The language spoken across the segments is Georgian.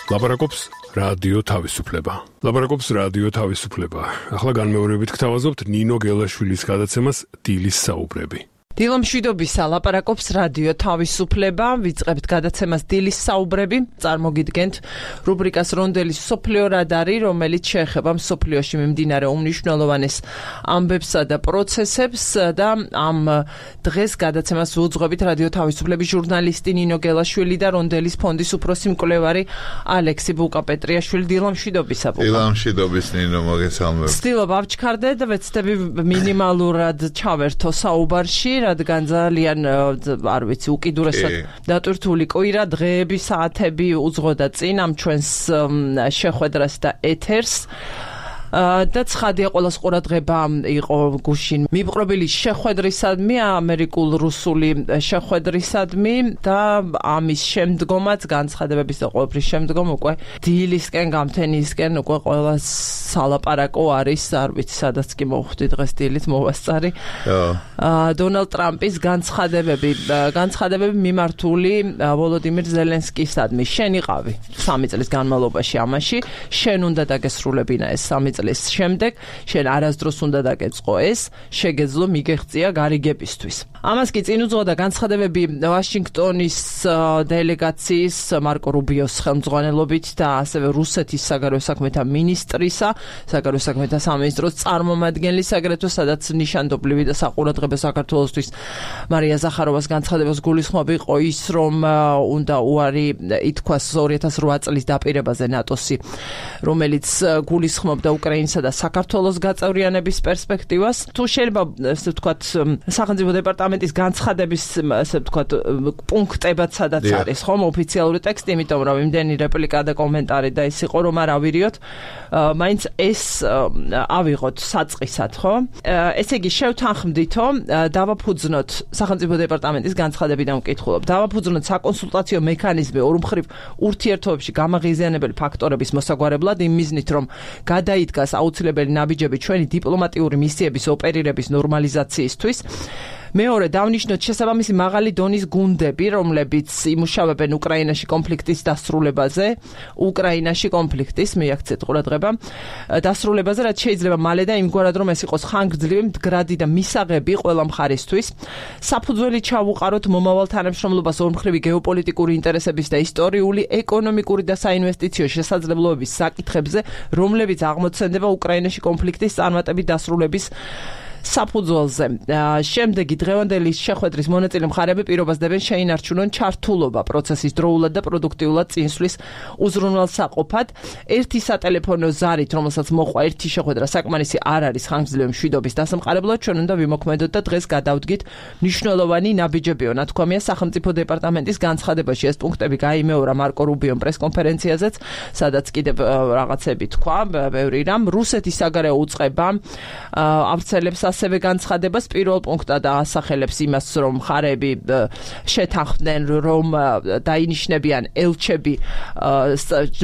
ლაპარაკობს რადიო თავისუფლება. ლაპარაკობს რადიო თავისუფლება. ახლა განმეორებით გთავაზობთ ნინო გელაშვილის გადაცემას დილის საუბრები. დილო მშვიდობისა, ლაპარაკობს რადიო თავისუფლება, ვიწყებთ გადაცემას დილის საუბრები, წარმოგიდგენთ რუბრიკას რონდელის სოფლიო რადარი, რომელიც შეეხება მსოფლიოში მიმდინარე უმნიშვნელოვანეს ამბებსა და პროცესებს და ამ დღეს გადაცემას უძღვებით რადიო თავისუფლების ჟურნალისტი ნინო გელაშვილი და რონდელის ფონდის უფროსი მკვლევარი ალექსი ბუკა-პეტრიაშვილი. დილო მშვიდობისა. დილო მშვიდობის ნინო, მოგესალმებით. ვცდილობ ავჩქარდე და ვეცდები მინიმალურად ჩავერთო საუბარში, რადგან ძალიან არ ვიცი უკიდურესად დატვირთული კვირა, დღეები, საათები უძღოდა წინ ამ ჩვენს შეხვედრას და ეთერს. და ცხადია ყველას ყურადღება იყო გუშინ მიპყრობილი შეხვედრისადმი, ამერიკულ-რუსული შეხვედრისადმი და ამის შემდგომაც განცხადებების და ყველაფრის შემდგომ უკვე დილისკენ გამთენისკენ უკვე ყველა სალაპარაკო არის, არ ვიცი სადაც კი მოვხვდი დღეს დილით მოვასწარი. დონალდ ტრამპის განცხადებები მიმართული ვოლოდიმირ ზელენსკისადმი. შენ იყავი 3 წლის განმავლობაში ამაში, შენ უნდა დაგესრულებინა ეს 3 წლის შემდეგ, შენ არასდროს უნდა დაგეწყო ეს, შეგეძლო მიგეღწია გარიგებისთვის. ამას კი წინ უძღოდა განცხადებები ვაშინგტონის დელეგაციის მარკო რუბიოს ხელმძღვანელობით და ასევე რუსეთის საგარეო საქმეთა მინისტრისა, საგარეო საქმეთა სამინისტროს წარმომადგენლის, აგრეთვე სადაც ნიშანდობლივი და საყურადღებო საქართველოსთვის მარია ზახაროვას განცხადებას გულისხმობ იყო ის, რომ უნდა უარი ითქვას 2008 წლის დაპირებაზე ნატოსი, რომელიც გულისხმობდა უკრაინისა და საქართველოს გაწევრიანების პერსპექტივას. თუ შეიძლება ესე ვთქვათ სახელმწიფო დეპარტამენტის განცხადების ესე ვთქვათ პუნქტებად სადაც არის ხომ ოფიციალური ტექსტი, იმიტომ რომ იმდენი რეპლიკა და კომენტარი და ის იყო რომ არ ავირიოთ, მაინც ეს ავიღოთ საწყისად, ხო? ესე იგი შევთანხმდითო, დავაფუძნოთ სახელმწიფო დეპარტამენტის განცხადებიდან ვკითხულობ. დავაფუძნოთ საკონსულტაციო მექანიზმი ორმხრივ ურთიერთობებში გამაღიზიანებელი ფაქტორების მოსაგვარებლად იმ მიზნით, რომ გადაიდგას აუცილებელი ნაბიჯები ჩვენი დიპლომატიური მისიების ოპერირების ნორმალიზაციისთვის. მეორე, დავნიშნოთ შესაბამისი მაღალი დონის გუნდები, რომლებიც იმუშავებენ უკრაინაში კონფლიქტის დასრულებაზე, მიაქცეთ ყურადღება, დასრულებაზე, რაც შეიძლება მალე და იმგვარად, რომ ეს იყოს ხანგრძლივი, მდგრადი და მისაღები ყველა მხარისთვის. საფუძველი ჩავუყაროთ მომავალ თანამშრომლობას ორმხრივი გეოპოლიტიკური ინტერესების და ისტორიული, ეკონომიკური და საინვესტიციო შესაძლებლობების საკითხებზე, რომლებიც აღმოცენდება უკრაინაში კონფლიქტის წარმატებით დასრულების საფუძველზე. შემდეგი დღევანდელი შეხვედრის მონაწილე მხარეები პირობას დებენ შეინარჩუნონ ჩართულობა პროცესის დროულად და პროდუქტიულად წინსვლის უზრუნველსაყოფად. ერთი სატელეფონო ზარით, რომელსაც მოყვა ერთი შეხვედრა, საკმარისი არ არის ხანგრძლივი მშვიდობის დასამყარებლად, ჩვენ უნდა ვიმოქმედოთ და დღეს გადავდგით მნიშვნელოვანი ნაბიჯებიო, ნათქვამია სახელმწიფო დეპარტამენტის განცხადებაში. ეს პუნქტები გაიმეორა მარკო რუბიომ პრესკონფერენციაზეც, სადაც კიდევ რაღაცები თქვა, ბევრი რამ. რუსეთის საგარეო უწყება ავრცელებს ასევე განცხადებას პირველ პუნქტად ასახელებს იმას, რომ მხარეები შეთანხმდნენ, რომ დაინიშნებიან ელჩები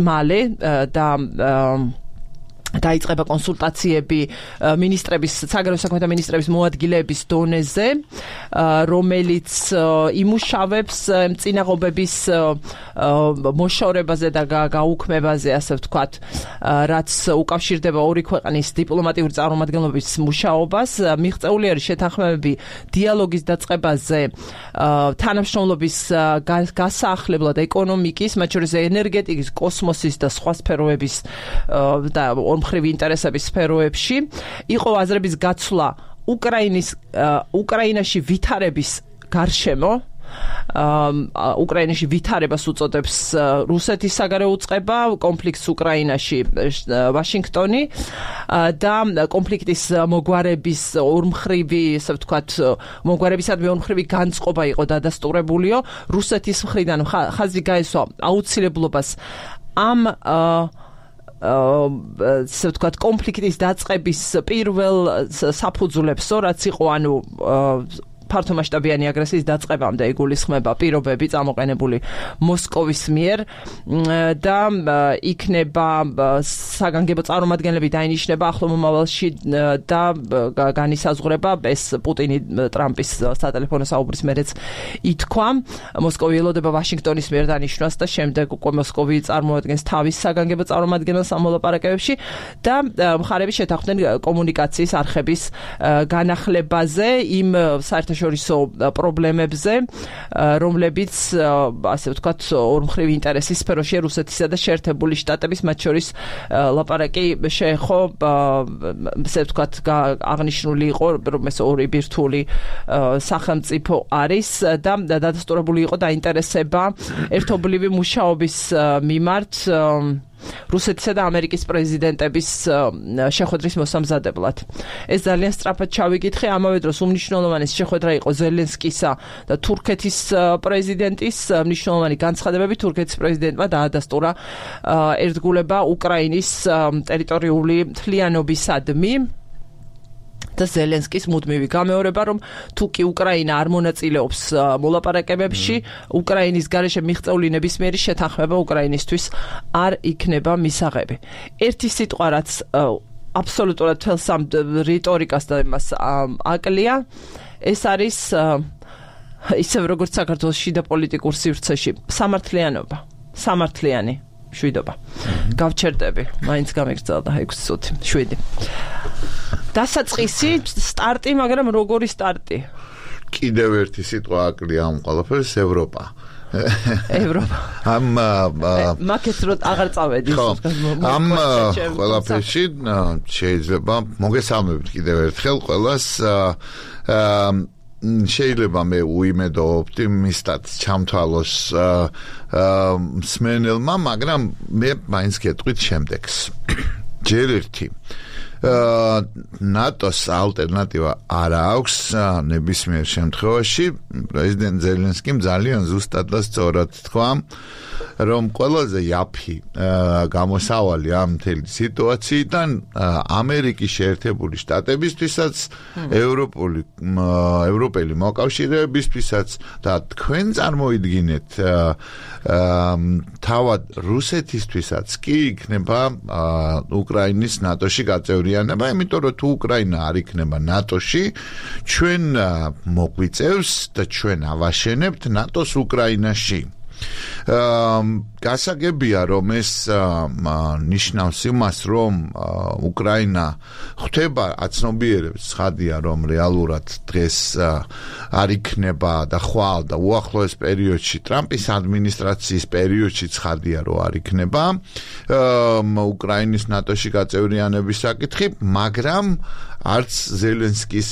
მალე და დაიწყება კონსულტაციები საგარეო საქმეთა მინისტრების მოადგილეების დონეზე, რომელიც იმუშავებს წინაღობების მოშორებაზე და გაუქმებაზე, ასე ვთქვათ, რაც უკავშირდება ორი ქვეყნის დიპლომატიური წარმომადგენლობის მუშაობას. მიღწეული არის შეთანხმებები დიალოგის დაწყებაზე, თანამშრომლობის გასაახლებლად ეკონომიკის, მათ შორის ენერგეტიკის, კოსმოსის და სხვა სფეროების და ორმხრივი ინტერესების სფეროებში. იყო აზრების გაცვლა უკრაინაში ვითარების გარშემო, უკრაინაში ვითარებას უწოდებს რუსეთის საგარეო უწყება, კონფლიქტს უკრაინაში ვაშინგტონი და კონფლიქტის მოგვარების ორმხრივი, ასე ვთქვათ, მოგვარებისადმი ორმხრივი განწყობა იყო დადასტურებულიო. რუსეთის მხრიდან ხაზი გაესვა აუცილებლობას ამ ასე ვთქვათ, კონფლიქტის დაწყების პირველ საფუძვლებს, რაც იყო, ანუ ფართომასშტაბიანი აგრესიის დაწყებამდე იგულისხმება პირობები წამოყენებული მოსკოვის მიერ და იქნება საგანგებო წარმომადგენლები დაინიშნება ახლო მომავალში და განისაზღვრება ეს პუტინი ტრამპის სატელეფონო საუბრის მერეც ითქვა მოსკოვი ელოდება ვაშინგტონის მიერ დანიშნვას და შემდეგ უკვე მოსკოვი წარმოადგენს თავის საგანგებო წარმომადგენელს ამ მოლაპარაკებებში და მხარები შეთანხმდნენ კომუნიკაციის არხების განახლებაზე იმ საერთაშორისო პრობლემებზე რომლებიც ასე ვთქვათ ორმხრივ ინტერესის სფეროშია რუსეთისა და შეერთებული შტატების მათ შორის ლაპარაკი შეეხო ასე ვთქვათ აღნიშნული იყო რომ ეს ორი ბირთვული სახელმწიფო არის და დადასტურებული იყო დაინტერესება ერთობლივი მუშაობის მიმართ რუსეთისა და ამერიკის პრეზიდენტების შეხვედრის მოსამზადებლად. ეს ძალიან სწრაფად ჩავიკითხე, ამავე დროს უმნიშვნელოვანესი შეხვედრა იყო ზელენსკისა და თურქეთის პრეზიდენტის მნიშვნელოვანი განცხადებები თურქეთის პრეზიდენტმა დაადასტურა ერთგულება უკრაინის ტერიტორიული მთლიანობისადმი და ზელენსკის მუდმივი გამეორება, რომ თუ კი უკრაინა არ მონაწილეობს მოლაპარაკებებში, უკრაინის გარეშე მიღწეული ნებისმიერი შეთანხმება უკრაინისთვის არ იქნება მისაღები. ერთი სიტყვა, რაც აბსოლუტურად თელს ამ რიტორიკას და იმას აკლია, ეს არის ისევ როგორც საქართველოს შიდა პოლიტიკურ სივრცეში სამართლიანობა, სამართლიანი შვიდობა. გავჩერდები, მაინც გამიგრძელდა 6 წუთი, 7. დასაწყისი სტარტი, მაგრამ როგორი სტარტი? კიდევ ერთი სიტყვა აკლია ამ ყველაფერს ევროპა. ევროპა. მაკეთ რო აღარ წავედი. ამ ყველაფერში შეიძლება მოგესალმებით კიდევ ერთხელ ყველას შეიძლება მე უიმედო ოპტიმისტად ჩამთვალოს მსმენელმა, მაგრამ მე მაინც გეტყვით შემდეგს. ჯერ ერთი ნატოს ალტერნატივა არ აქვს ნებისმიერ შემთხვევაში. პრეზიდენტ ზელენსკიმ ძალიან ზუსტად და სწორად თქვა, რომ ყველაზე იაფი გამოსავალი ამ მთელი სიტუაციიდან ამერიკის შეერთებული შტატებისთვისაც, ევროპელი მოკავშირეებისთვისაც და თქვენ წარმოიდგინეთ თავად რუსეთისთვისაც კი იქნება უკრაინის ნატოში გაწევრიანება, იმიტომ რომ თუ უკრაინა არ იქნება ნატოში, ჩვენ მოგვიწევს და ჩვენ ავაშენებთ ნატოს უკრაინაში. გასაგებია რომ ეს ნიშნავს იმას, რომ უკრაინა ხვდება აცნობიერებს ცხადია, რომ რეალურად დღეს არ იქნება და ხვალ და უახლოეს პერიოდში ტრამპის ადმინისტრაციის პერიოდში ცხადია, რომ არ იქნება უკრაინის ნატოში გაწევრიანების საკითხი, მაგრამ არც ზელენსკის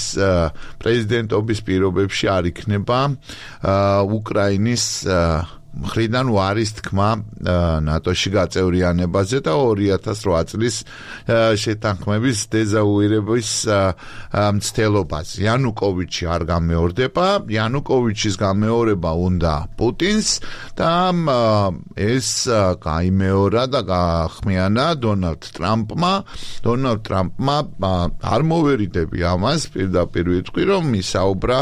პრეზიდენტობის პირობებში არ იქნება უკრაინის მხრიდან უარის თქმა ნატოში გაწევრიანებაზე და 2008 წლის შეთანხმების დეზავუირების მცდელობაზე. იანუკოვიჩი არ გამეორდება, იანუკოვიჩის გამეორება უნდა პუტინს და ეს გაიმეორა და გაახმიანა დონალდ ტრამპმა. დონალდ ტრამპმა არ მოვერიდები ამას, პირდაპირ ვიტყვი, რომ ისაუბრა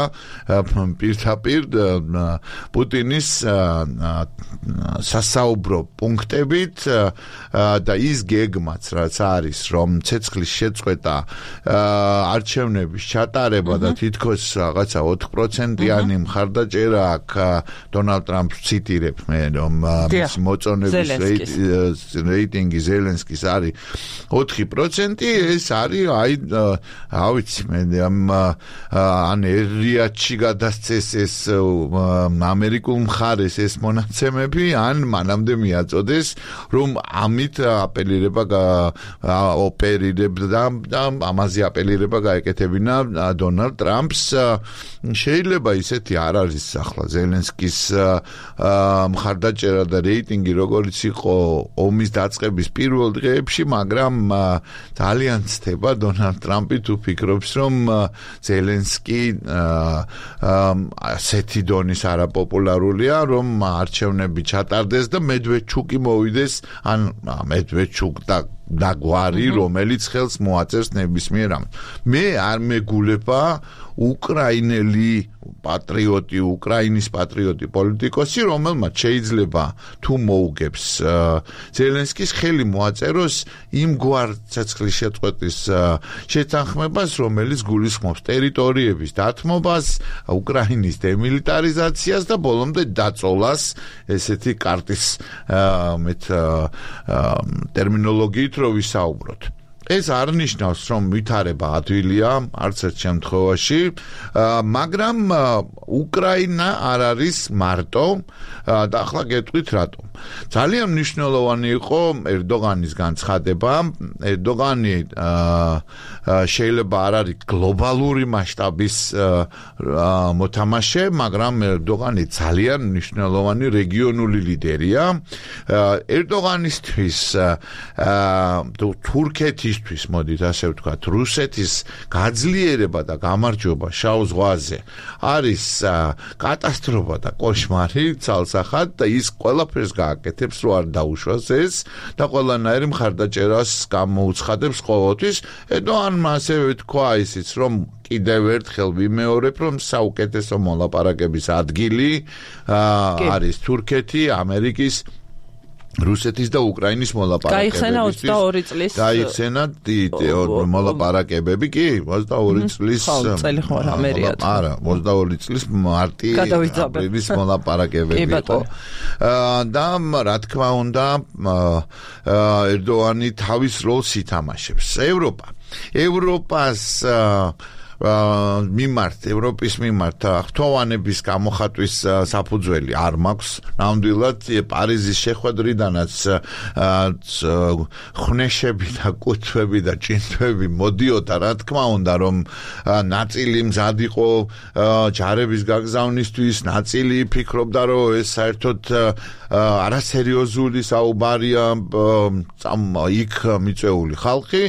პირდაპირ პუტინის სასაუბრო პუნქტებით და ის გეგმაც რაც არის, რომ ცეცხლის შეწყვეტა, არჩევნების ჩატარება და თითქოს რაღაცა 4%-იანი მხარდაჭერა აქვს დონალდ ტრამპს ციტირებ მე, რომ მის მოწონების რეიტინგი ზელენსკის არის 4%, ეს არის ავიცი მე ან რიადში გადასცეს ეს ამერიკულ მხარეს ეს მონაცემები, ან მანამდე მიაწოდეს, რომ ამით ოპერირება და ამაზე ოპერირება გაეკეთებინა დონალდ ტრამპს. შეიძლება ისეთი არ არის ახლა ზელენსკის მხარდაჭერა და რეიტინგი როგორც იყო ომის დაწყების პირველ დღეებში, მაგრამ ძალიან ცდება დონალდ ტრამპი თუ ფიქრობს, რომ ზელენსკი ასეთი დონის არაპოპულარულია, რომ არჩევნები ჩატარდეს და მედვედჩუკი მოვიდეს, ან მედვედჩუკ და და გვარი, რომელიც ხელს მოაწერს ნებისმიერ ამას. მე არ მეგულება უკრაინელი პატრიოტი, უკრაინის პატრიოტი პოლიტიკოსი, რომელმაც შეიძლება თუ მოუგებს ზელენსკის ხელი მოაწეროს იმგვარ ცეცხლის შეწყვეტის შეთანხმებას, რომელიც გულისხმობს ტერიტორიების დათმობას, უკრაინის დემილიტარიზაციას და ბოლომდე დაწოლას, ესეთი კარტის ტერმინოლოგიით რო ვისაუბროთ. ეს არ ნიშნავს, რომ ვითარება ადვილია, არც ერთ შემთხვევაში, მაგრამ უკრაინა არ არის მარტო და ახლა გეტყვით რატომ. ძალიან მნიშვნელოვანი იყო ერდოღანის განცხადება. ერდოღანი შეიძლება არ არის გლობალური მასშტაბის მოთამაშე, მაგრამ ერდოღანი ძალიან მნიშვნელოვანი რეგიონული ლიდერია. ერდოღანისთვის თურქეთის მოდით ასე ვთქვათ, რუსეთის გაძლიერება და გამარჯვება შავ ზღვაზე არის კატასტროფა და კოშმარი ცალსახად და ის ყველაფერს გააკეთებს, რომ არ დაუშვას ეს და ყველანაირი მხარდაჭერას გამოუცხადებს ყოველთვის. ერდოღანმა ასევე თქვა ისიც, რომ კიდევ ერთხელ ვიმეორებ, რომ საუკეთესო მოლაპარაკების ადგილი არის თურქეთი, ამერიკის, რუსეთის და უკრაინის მოლაპარაკებებისთვის. გაიხსენა 22 წლის. გაიხსენა მოლაპარაკებები, კი, 22 წლის. წელი ხო რა მერია. არა, 22 წლის მარტი აპრილის მოლაპარაკებები იყო. და რა თქმა უნდა, ერდოღანი თავის როლს ითამაშებს. ევროპას ევროპის მიმართ ხთოვანების გამოხატვის საფუძველი არ მაქვს. ნამდვილად პარიზის შეხვედრიდანაც ხნეშები და კუთვები და ჭინთვები მოდიოდა, რა თქმა უნდა, რომ ნაწილი მზად იყო ჯარების გაგზავნისთვის, ნაწილი ფიქრობდა, რომ ეს საერთოდ არასერიოზული საუბარია იქ მიწვეული ხალხი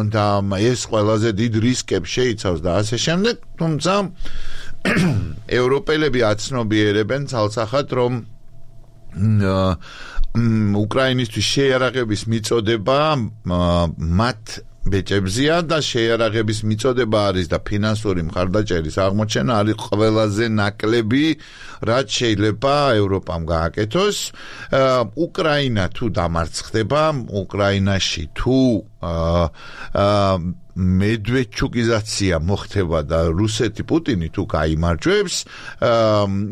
და ეს ყველაზე დიდ რისკებს შეიცავს და ასე შემდეგ, თუმცა ევროპელები აცნობიერებენ ცალსახად, რომ უკრაინისთვის შეიარაღების მიწოდება მათ ბეჭებზია და შეიარაღების მიწოდება არის და ფინანსური მხარდაჭერის აღმოჩენა არის ყველაზე ნაკლები, რაც შეიძლება ევროპამ გააკეთოს. უკრაინა თუ დამარცხდება, უკრაინაში თუ მედვედჩუკიზაცია მოხდება და რუსეთი პუტინი თუ გაიმარჯვებს,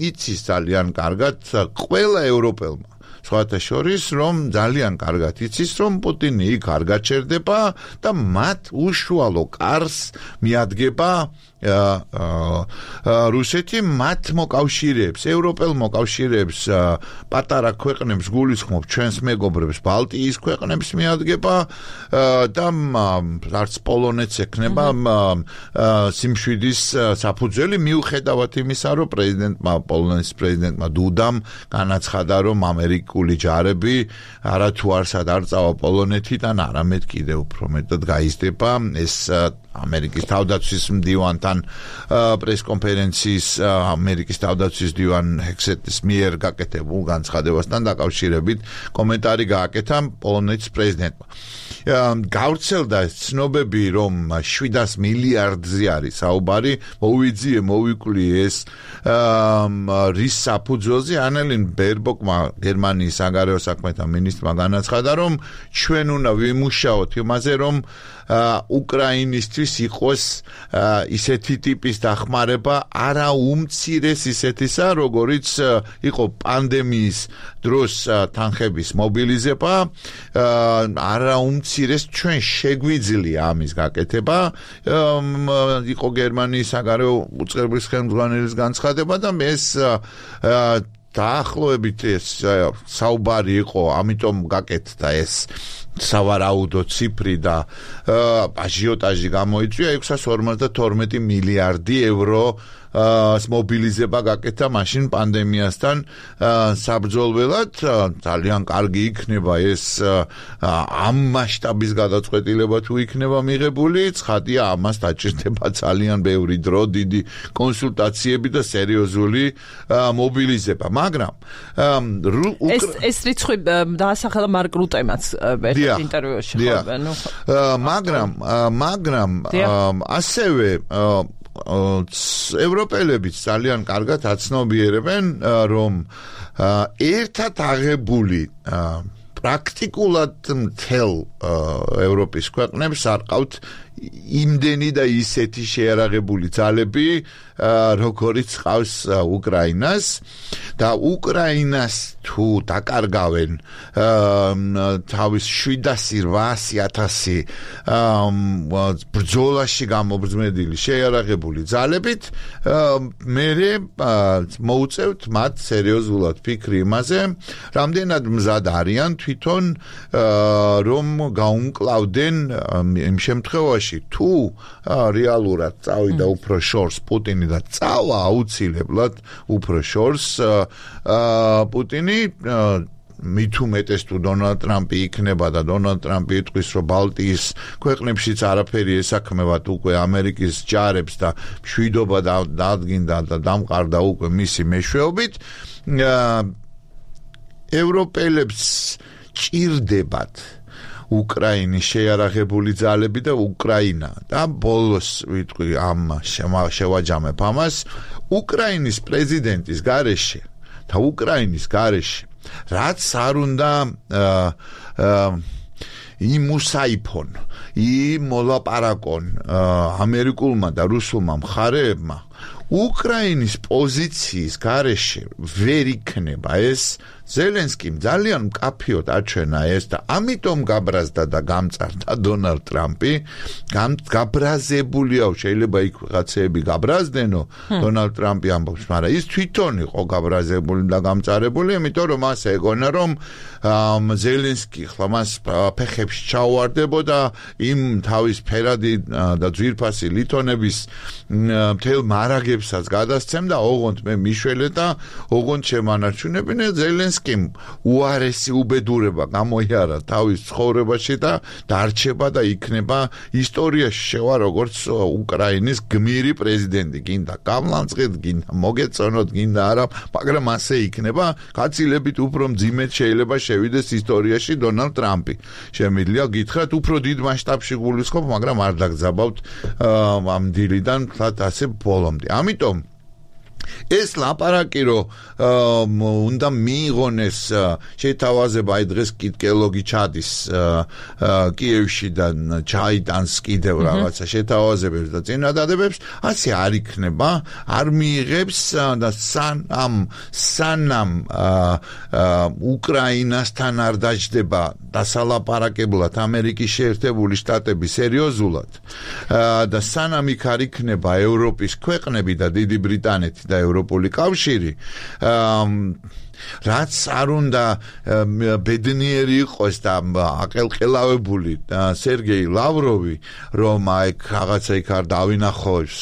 იცის ძალიან კარგად ყველა ევროპელმა. სხვათა შორის, რომ ძალიან კარგად იცის, რომ პუტინი იქ არ გაჩერდება და მათ უშუალო კარს მიადგება რუსეთი მათ მოკავშირეებს, ევროპელ მოკავშირეებს, პატარა ქვეყნებს გულისხმობ ჩვენს მეგობრებს, ბალტიის ქვეყნებს მიადგება და არც პოლონეთს ექნება სიმშვიდის საფუძველი, მიუხედავად იმისა, რომ პოლონეთის პრეზიდენტმა დუდამ განაცხადა, რომ ამერიკული ჯარები არათუ არსად არ წავა პოლონეთიდან, არამედ კიდევ უფრო მეტად გაიზრდება. ეს ამერიკის თავდაცვის მდივანთან პრესკონფერენციის ამერიკის თავდაცვის მდივან ჰექსეტის მიერ გაკეთებულ განცხადებასთან დაკავშირებით კომენტარი გააკეთა პოლონეთის პრეზიდენტმა. გავრცელდა ცნობები, რომ 700 მილიარდზე არის საუბარი, მოვიკვლიე ეს რის საფუძველზე. ანელინ ბერბოკმა, გერმანიის საგარეო საქმეთა მინისტრმა განაცხადა, რომ ჩვენ უნდა ვიმუშაოთ იმაზე, რომ უკრაინისთვის იყოს ისეთი ტიპის დახმარება, არა უმცირეს ისეთისა, როგორიც იყო პანდემიის დროს თანხების მობილიზება, არა უმცირეს ჩვენ შეგვიძლია ამის გაკეთება. იყო გერმანიის საგარეო უწყებლის ხელმძღვანელის განცხადება და ეს დაახლოებით ეს საუბარი იყო, ამიტომ გაკეთდა ეს სავარაუდო ციფრი და აჟიოტაჟი გამოიწვია 652 მილიარდი ევრო მობილიზება გაკეთა მაშინ პანდემიასთან საბრძოლველად. ძალიან კარგი იქნება ეს ამ მასშტაბის გადაწყვეტილება თუ იქნება მიღებული, ცხადია ამას დაჭირდება ძალიან ბევრი დრო, დიდი კონსულტაციები და სერიოზული მობილიზება, მაგრამ ეს რიცხვი დაასახელა მარკ რუტემაც ინტერვიუში ხობენ, ნუ მაგრამ ასევე ევროპელებიც ძალიან კარგად აცნობიერებენ, რომ ერთად აღებული პრაქტიკულად მთელ ევროპის ქვეყნებს არ ყავთ იმდენი და ისეთი შეიარაღებული ძალები, როგორიც ყავს უკრაინას და უკრაინას თუ დაკარგავენ თავის 700-800 ბრძოლაში გამობრძმედილი შეიარაღებული ძალებით, მერე მოუწევთ მათ სერიოზულად ფიქრი იმაზე, რამდენად მზად არიან თვითონ რომ გაუმკლავდნენ იმ შემთხვევაში თუ რეალურად წავიდა უფრო შორს პუტინი და წავა აუცილებლად უფრო შორს პუტინი მით უმეტეს თუ დონალდ ტრამპი იქნება და დონალდ ტრამპი იტყვის რომ ბალტიის ქვეყნებშიც არაფერი ესაქმებათ უკვე ამერიკის ჯარებს და მშვიდობა დადგინდა და დამყარდა უკვე მისი მეშვეობით ევროპელებს ჭირდებათ უკრაინის შეიარაღებული ძალები და უკრაინა და ბოლოს ვიტყვი ამ შევაჯამებ ამას უკრაინის პრეზიდენტის გარეშე და უკრაინის გარეშე რაც არ უნდა იმუსაიფონ იმოლაპარაკონ ამერიკულმა და რუსულმა მხარეებმა უკრაინის პოზიციის გარეშე ვერ იქნება ეს ზელენსკიმ ძალიან მკაფიოდ აჩვენა ეს და ამიტომ გაბრაზდა და გამწარდა დონალდ ტრამპი გაბრაზებულია შეიძლება იქ რაღაცეები გაბრაზდნენო დონალდ ტრამპი ამბობს მაგრამ ის თვითონ იყო გაბრაზებული და გამწარებული იმიტომ რომ მას ეგონა რომ ზელენსკი ხლა მას ფეხებში ჩაუვარდებოდა იმ თავის ფერადი და ძვირფასი ლითონების მთელ მარაგებსაც გადასცემდა ოღონდ მე მიშველე და ოღონდ შემანარჩუნებინე ზელენსკიმ უარესი უბედურება გამოიარა თავის ცხოვრებაში და დარჩება და იქნება ისტორიაში შევა როგორც უკრაინის გმირი პრეზიდენტი გინდა გამლანწყეთ გინდა მოგეწონოთ გინდა არა მაგრამ ასე იქნება გაცილებით უფრო მძიმედ შეიძლება შევიდეს ისტორიაში დონალდ ტრამპი შემიძლია გითხრათ უფრო დიდ მასშტაბში გულისხმობ მაგრამ არ დაგზაბავთ ამ დილიდან თლათ ასე ბოლომდე ამიტომ ეს ლაპარაკი რომ უნდა მიიღონეს შეთავაზება აი დღეს კითხელოგი ჩადის კიევში და ჩაიტანს კიდევ რაღაცა შეთავაზებებს და წინადადებებს ასე არ იქნება არ მიიღებს და სანამ უკრაინასთან არ დაჯდება დასალაპარაკებლად ამერიკის შეერთებული შტატები სერიოზულად და სანამ იქ არ იქნება ევროპის ქვეყნები და დიდი ბრიტანეთი და ევროპული კავშირი რაც არ უნდა ბედნიერი იყოს და აყელყელავებული სერგეი ლავროვი რომ აი რაღაცა იქ არ დავინახოს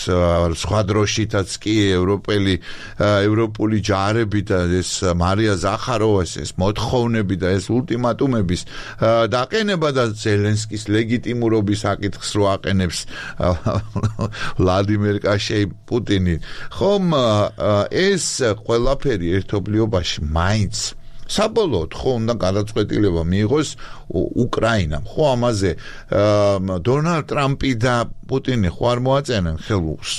სხვა დროშითაც კი ევროპული ჯარები და ეს მარია ზახაროვას ეს მოთხოვნები და ეს ულტიმატუმების დაყენება და ზელენსკის ლეგიტიმურობის საკითხს რო აყენებს ვლადიმერ კაშეი პუტინი ხომ ეს ყველაფერი ერთობლიობაში მაინც საბოლოოდ ხო უნდა გადაწყვეტილება მიიღოს უკრაინამ ხო ამაზე დონალდ ტრამპი და პუტინი ხო არ მოაწენენ ხელს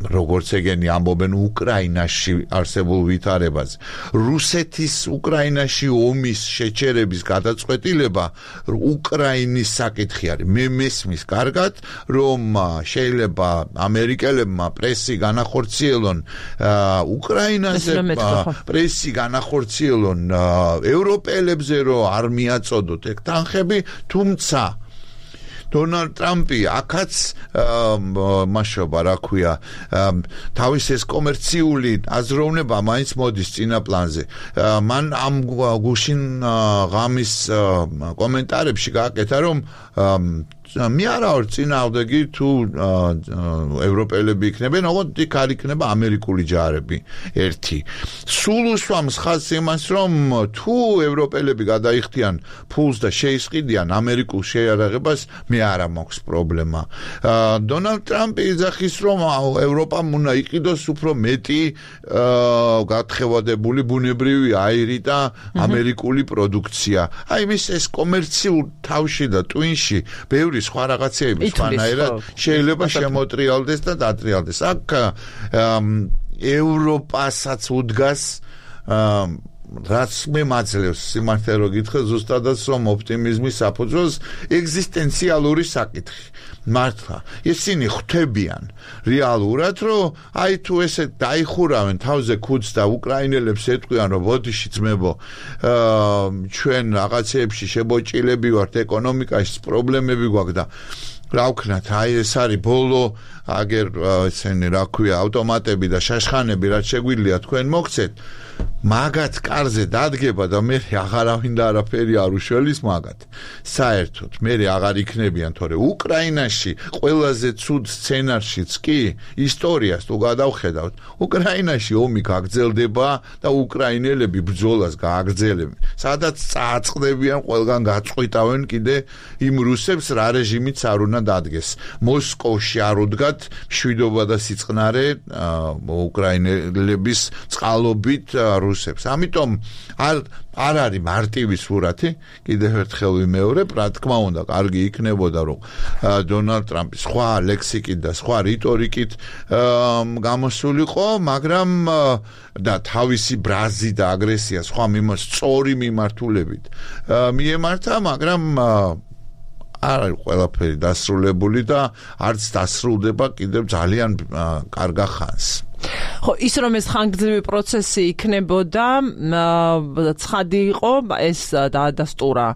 როგორც ეგენი ამბობენ უკრაინაში არსებულ ვითარებაზე რუსეთის უკრაინაში ომის შეჩერების გადაწყვეტილება უკრაინის საკითხი არის მე მესმის კარგად რომ შეიძლება ამერიკელებმა პრესი განახორციელონ უკრაინაზე პრესი განახორციელონ ევროპელებზე რომ არ მიაწოდოთ ეგ თანხები თუმცა დონალდ ტრამპი აქაც მაშობა რა ქვია თავის ეს კომერციული აზროვნება მაინც მოდის წინა პლანზე მან ამ გუშინ ღამის კომენტარებში გააკეთა რომ მე არა ვარ წინააღმდეგი თუ ევროპელები იქნებენ, ოღონდ იქ არ იქნება ამერიკული ჯარები. ერთი. სულ უსვამს ხაზს იმას, რომ თუ ევროპელები გადაიხდიან ფულს და შეისყიდიან ამერიკულ შეიარაღებას, მე არა მაქვს პრობლემა. დონალდ ტრამპი იძახის, რომ ევროპამ უნდა იყიდოს უფრო მეტი გათხევადებული ბუნებრივი აირი და ამერიკული პროდუქცია. აი მის ეს კომერციულ თავში და ტვინში ბევრი სხვა რაღაცეები სხვანაირად შეიძლება შემოტრიალდეს და დატრიალდეს. აქ ევროპასაც უდგას რაც მე მაძლევს სიმართლე რო გითხრა ზუსტადაც რომ ოპტიმიზმის საფუძველს ეგზისტენციალური საკითხი. მართლა ისინი ხვდებიან რეალურად რომ აი თუ ესე დაიხურავენ თავზე ქუდს და უკრაინელებს ეტყვიან რომ ბოდიში ძმებო ჩვენ რაღაცეებში შებოჭილები ვართ ეკონომიკაში პრობლემები გვაქვს და რა ვქნათ აი ეს არის ბოლო აგერ ესენი რა ქვია ავტომატები და შაშხანები რაც შეგვიძლია თქვენ მოგცეთ მაგათ კარზე დადგება და მე აღარავინ და არაფერი არ უშველის მაგათ საერთოდ მე აღარ იქნებიან თორე უკრაინაში ყველაზე ცუდ სცენარშიც კი ისტორიას თუ გადავხედავთ უკრაინაში ომი გაგრძელდება და უკრაინელები ბრძოლას გააგრძელებენ სადაც წააწყდებიან ყველგან გაწყვიტავენ კიდე იმ რუსებს რა რეჟიმიც არ უნდა დადგეს მოსკოვში არ უდგათ მშვიდობა და სიწყნარე უკრაინელების წყალობით რუსებს. ამიტომ არ არის მარტივი სურათი, კიდევ ერთხელ ვიმეორებ, რა თქმა უნდა, კარგი იქნებოდა, რომ დონალდ ტრამპი სხვა ლექსიკით და სხვა რიტორიკით გამოსულიყო, მაგრამ და თავისი ბრაზი და აგრესია სხვა სწორი მიმართულებით მიემართა, მაგრამ არ არის ყველაფერი დასრულებული და არც დასრულდება კიდევ ძალიან კარგა ხანს. ხო ის რომ ეს ხანგრძლივი პროცესი იქნებოდა ცხადი იყო ეს დაადასტურა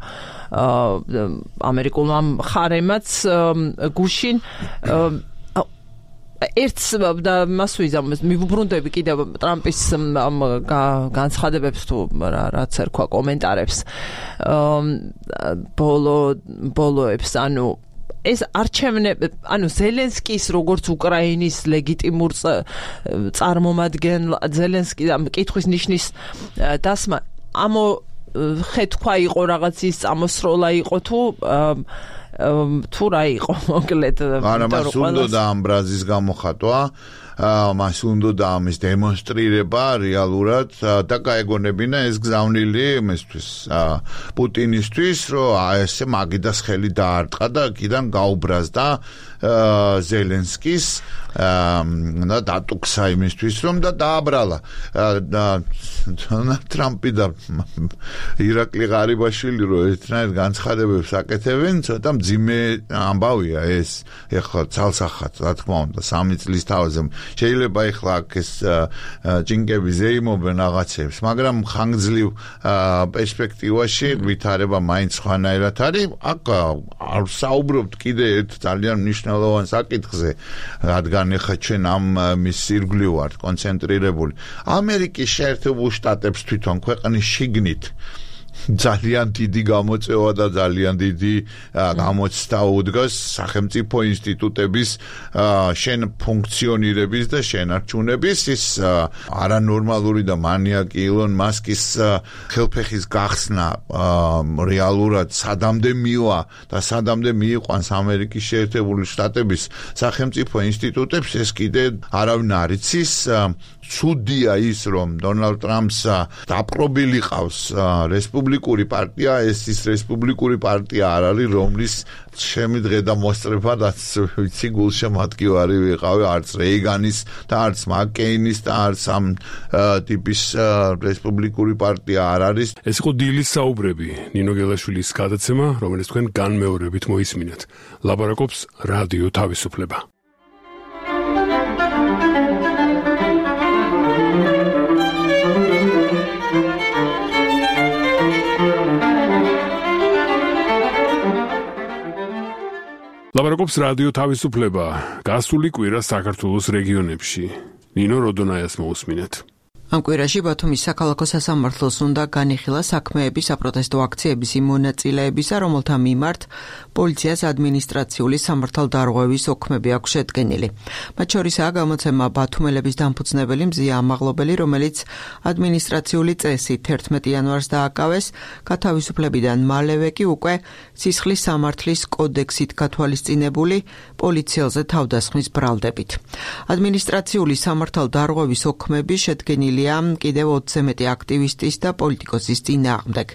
ამერიკულმა მხარემაც გუშინ ერთს და მას ვიზამს მივუბრუნდები კიდევ ტრამპის განცხადებებს თუ რაც ერქვა კომენტარებს ბოლოებს ანუ ეს არჩევნები ანუ ზელენსკის როგორც უკრაინის ლეგიტიმურ წარმომადგენელ ზელენსკი კითხვის ნიშნის დასმა ამოხეთქვა იყო რაღაც ის წამოსროლა იყო თუ რა იყო მოკლედ არა მას უნდა ამ ბრაზის გამოხატვა მას უნდა ამის დემონსტრირება რეალურად და გაეგონებინა ეს გზავნილი იმისთვის პუტინისთვის რომ ესე მაგიდას ხელი დაარტყა და კიდან გაუბრაზდა ზელენსკის და დატუქსა იმისთვის რომ და დააბრალა დონალდ ტრამპი და ირაკლი ღარიბაშვილი რომ ერთნაირ განცხადებებს აკეთებენ ცოტა მძიმე ამბავია ეს ეხლა ცალსახად რა თქმა უნდა 3 წლის თავზე შეიძლება ეხლა აქ ეს ჭინკები ზეიმობენ რაღაცებს მაგრამ ხანგრძლივ პერსპექტივაში ვითარება მაინც სხვანაირად არის აქ არ საუბრობთ კიდე ერთ ძალიან მნიშვნელოვან საკითხზე რადგან ეხლა ჩვენ ამ მის ირგვლივ ვართ კონცენტრირებული ამერიკის შეერთებულ შტატებს თვითონ ქვეყნის შიგნით ძალიან დიდი გამოწვევა და ძალიან დიდი გამოცდა უდგას სახელმწიფო ინსტიტუტების ფუნქციონირების და შენარჩუნების ის არანორმალური და მანიაკი ილონ მასკის ხელფეხის გახსნა რეალურად სადამდე მივა და სადამდე მიიყვანს ამერიკის შეერთებული შტატების სახელმწიფო ინსტიტუტებს ეს კიდე არავინ არ იცის ცუდია ის რომ დონალდ ტრამპს დაპყრობილი ყავს რესპუბლიკური პარტია ეს ის რესპუბლიკური პარტია არ არის რომლის შემიძლია და მოსწრებადაც ვიცი გულშემატკივარი ვიყავი არც რეიგანის და არც მაკკეინის და არც ამ ტიპის რესპუბლიკური პარტია არ არის ეს იყო დილის საუბრები ნინო გელაშვილის გადაცემა რომელიც თქვენ განმეორებით მოისმინეთ ლაპარაკობს რადიო თავისუფლება ლაპარაკობს რადიო თავისუფლება გასული კვირა საქართველოს რეგიონებში ნინო როდონაიას მოусმინეთ ამ კვირაში ბათუმის საქალაქო სასამართლოს უნდა განიხილა საქმეები საპროტესტო აქციების იმ მონაწილეებისა, რომელთა მიმართ პოლიციას ადმინისტრაციული სამართალდარღვევის ოქმები აქვს შედგენილი. მათ შორისაა გამოცემა ბათუმელების დამფუძნებელი მზია ამაღლობელი, რომელიც ადმინისტრაციული წესით 11 იანვარს დააკავეს, გათავისუფლებიდან მალევე კი უკვე სისხლის სამართლის კოდექსით გათვალისწინებული პოლიციელზე თავდასხმის ბრალდებით. ადმინისტრაციული სამართალდარღვევის ოქმები შედგენილია კიდევ 20-ზე მეტი აქტივისტის და პოლიტიკოსის წინააღმდეგ.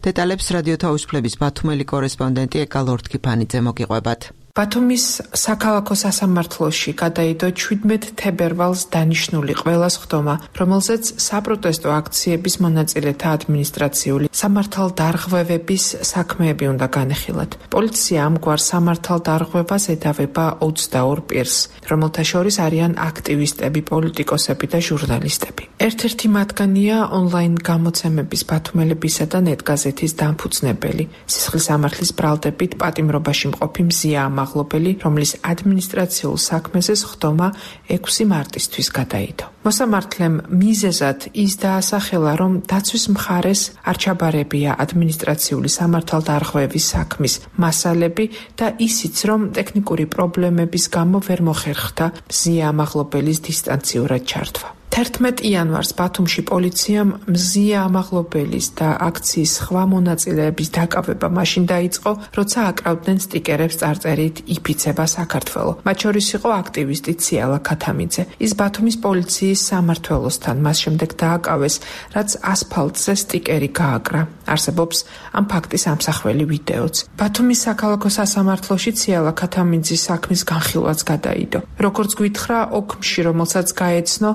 დეტალებს რადიო თავისუფლების ბათუმელი კორესპონდენტი ეკა ლორთქიფანიძე მოგიყვებათ. ბათუმის საქალაქო სასამართლოში გადაიდო 17 თებერვალს დანიშნული ყველა სხდომა, რომელზეც საპროტესტო აქციების მონაწილეთა ადმინისტრაციული სამართალდარღვევების საქმეები უნდა განეხილათ. პოლიცია ამგვარ სამართალდარღვევას ედავება 22 პირს, რომელთა შორის არიან აქტივისტები, პოლიტიკოსები და ჟურნალისტები. ერთ-ერთი მათგანია ონლაინ გამოცემების ბათუმელებისა და ნეტგაზეთის დამფუძნებელი, სისხლის სამართლის ბრალდებით პატიმრობაში მყოფი მზია ამაღლობელი, რომლის ადმინისტრაციულ საქმეზე სხდომა 6 მარტისთვის გადაიდო. მოსამართლემ მიზეზად ის დაასახელა, რომ დაცვის მხარეს არ ჩაბარებია ადმინისტრაციული სამართალდარღვევის საქმის მასალები და ისიც, რომ ტექნიკური პრობლემების გამო ვერ მოხერხდა მზია ამაღლობელის დისტანციურად ჩართვა. 11 იანვარს ბათუმში პოლიციამ მზია ამაღლობელის და აქციის სხვა მონაწილეების დაკავება მაშინ დაიწყო, როცა აკრავდნენ სტიკერებს წარწერით იფიცება საქართველო. მათ შორის იყო აქტივისტი ციალა ქათამიძე. ის ბათუმის პოლიციის სამმართველოსთან მას შემდეგ დააკავეს, რაც ასფალტზე სტიკერი გააკრა. არსებობს ამ ფაქტის ამსახველი ვიდეოც. ბათუმის საქალაქო სასამართლოში ციალა ქათამიძის საქმის განხილვაც გადაიდო. როგორც გვითხრა, ოქმში, რომელსაც გაეცნო,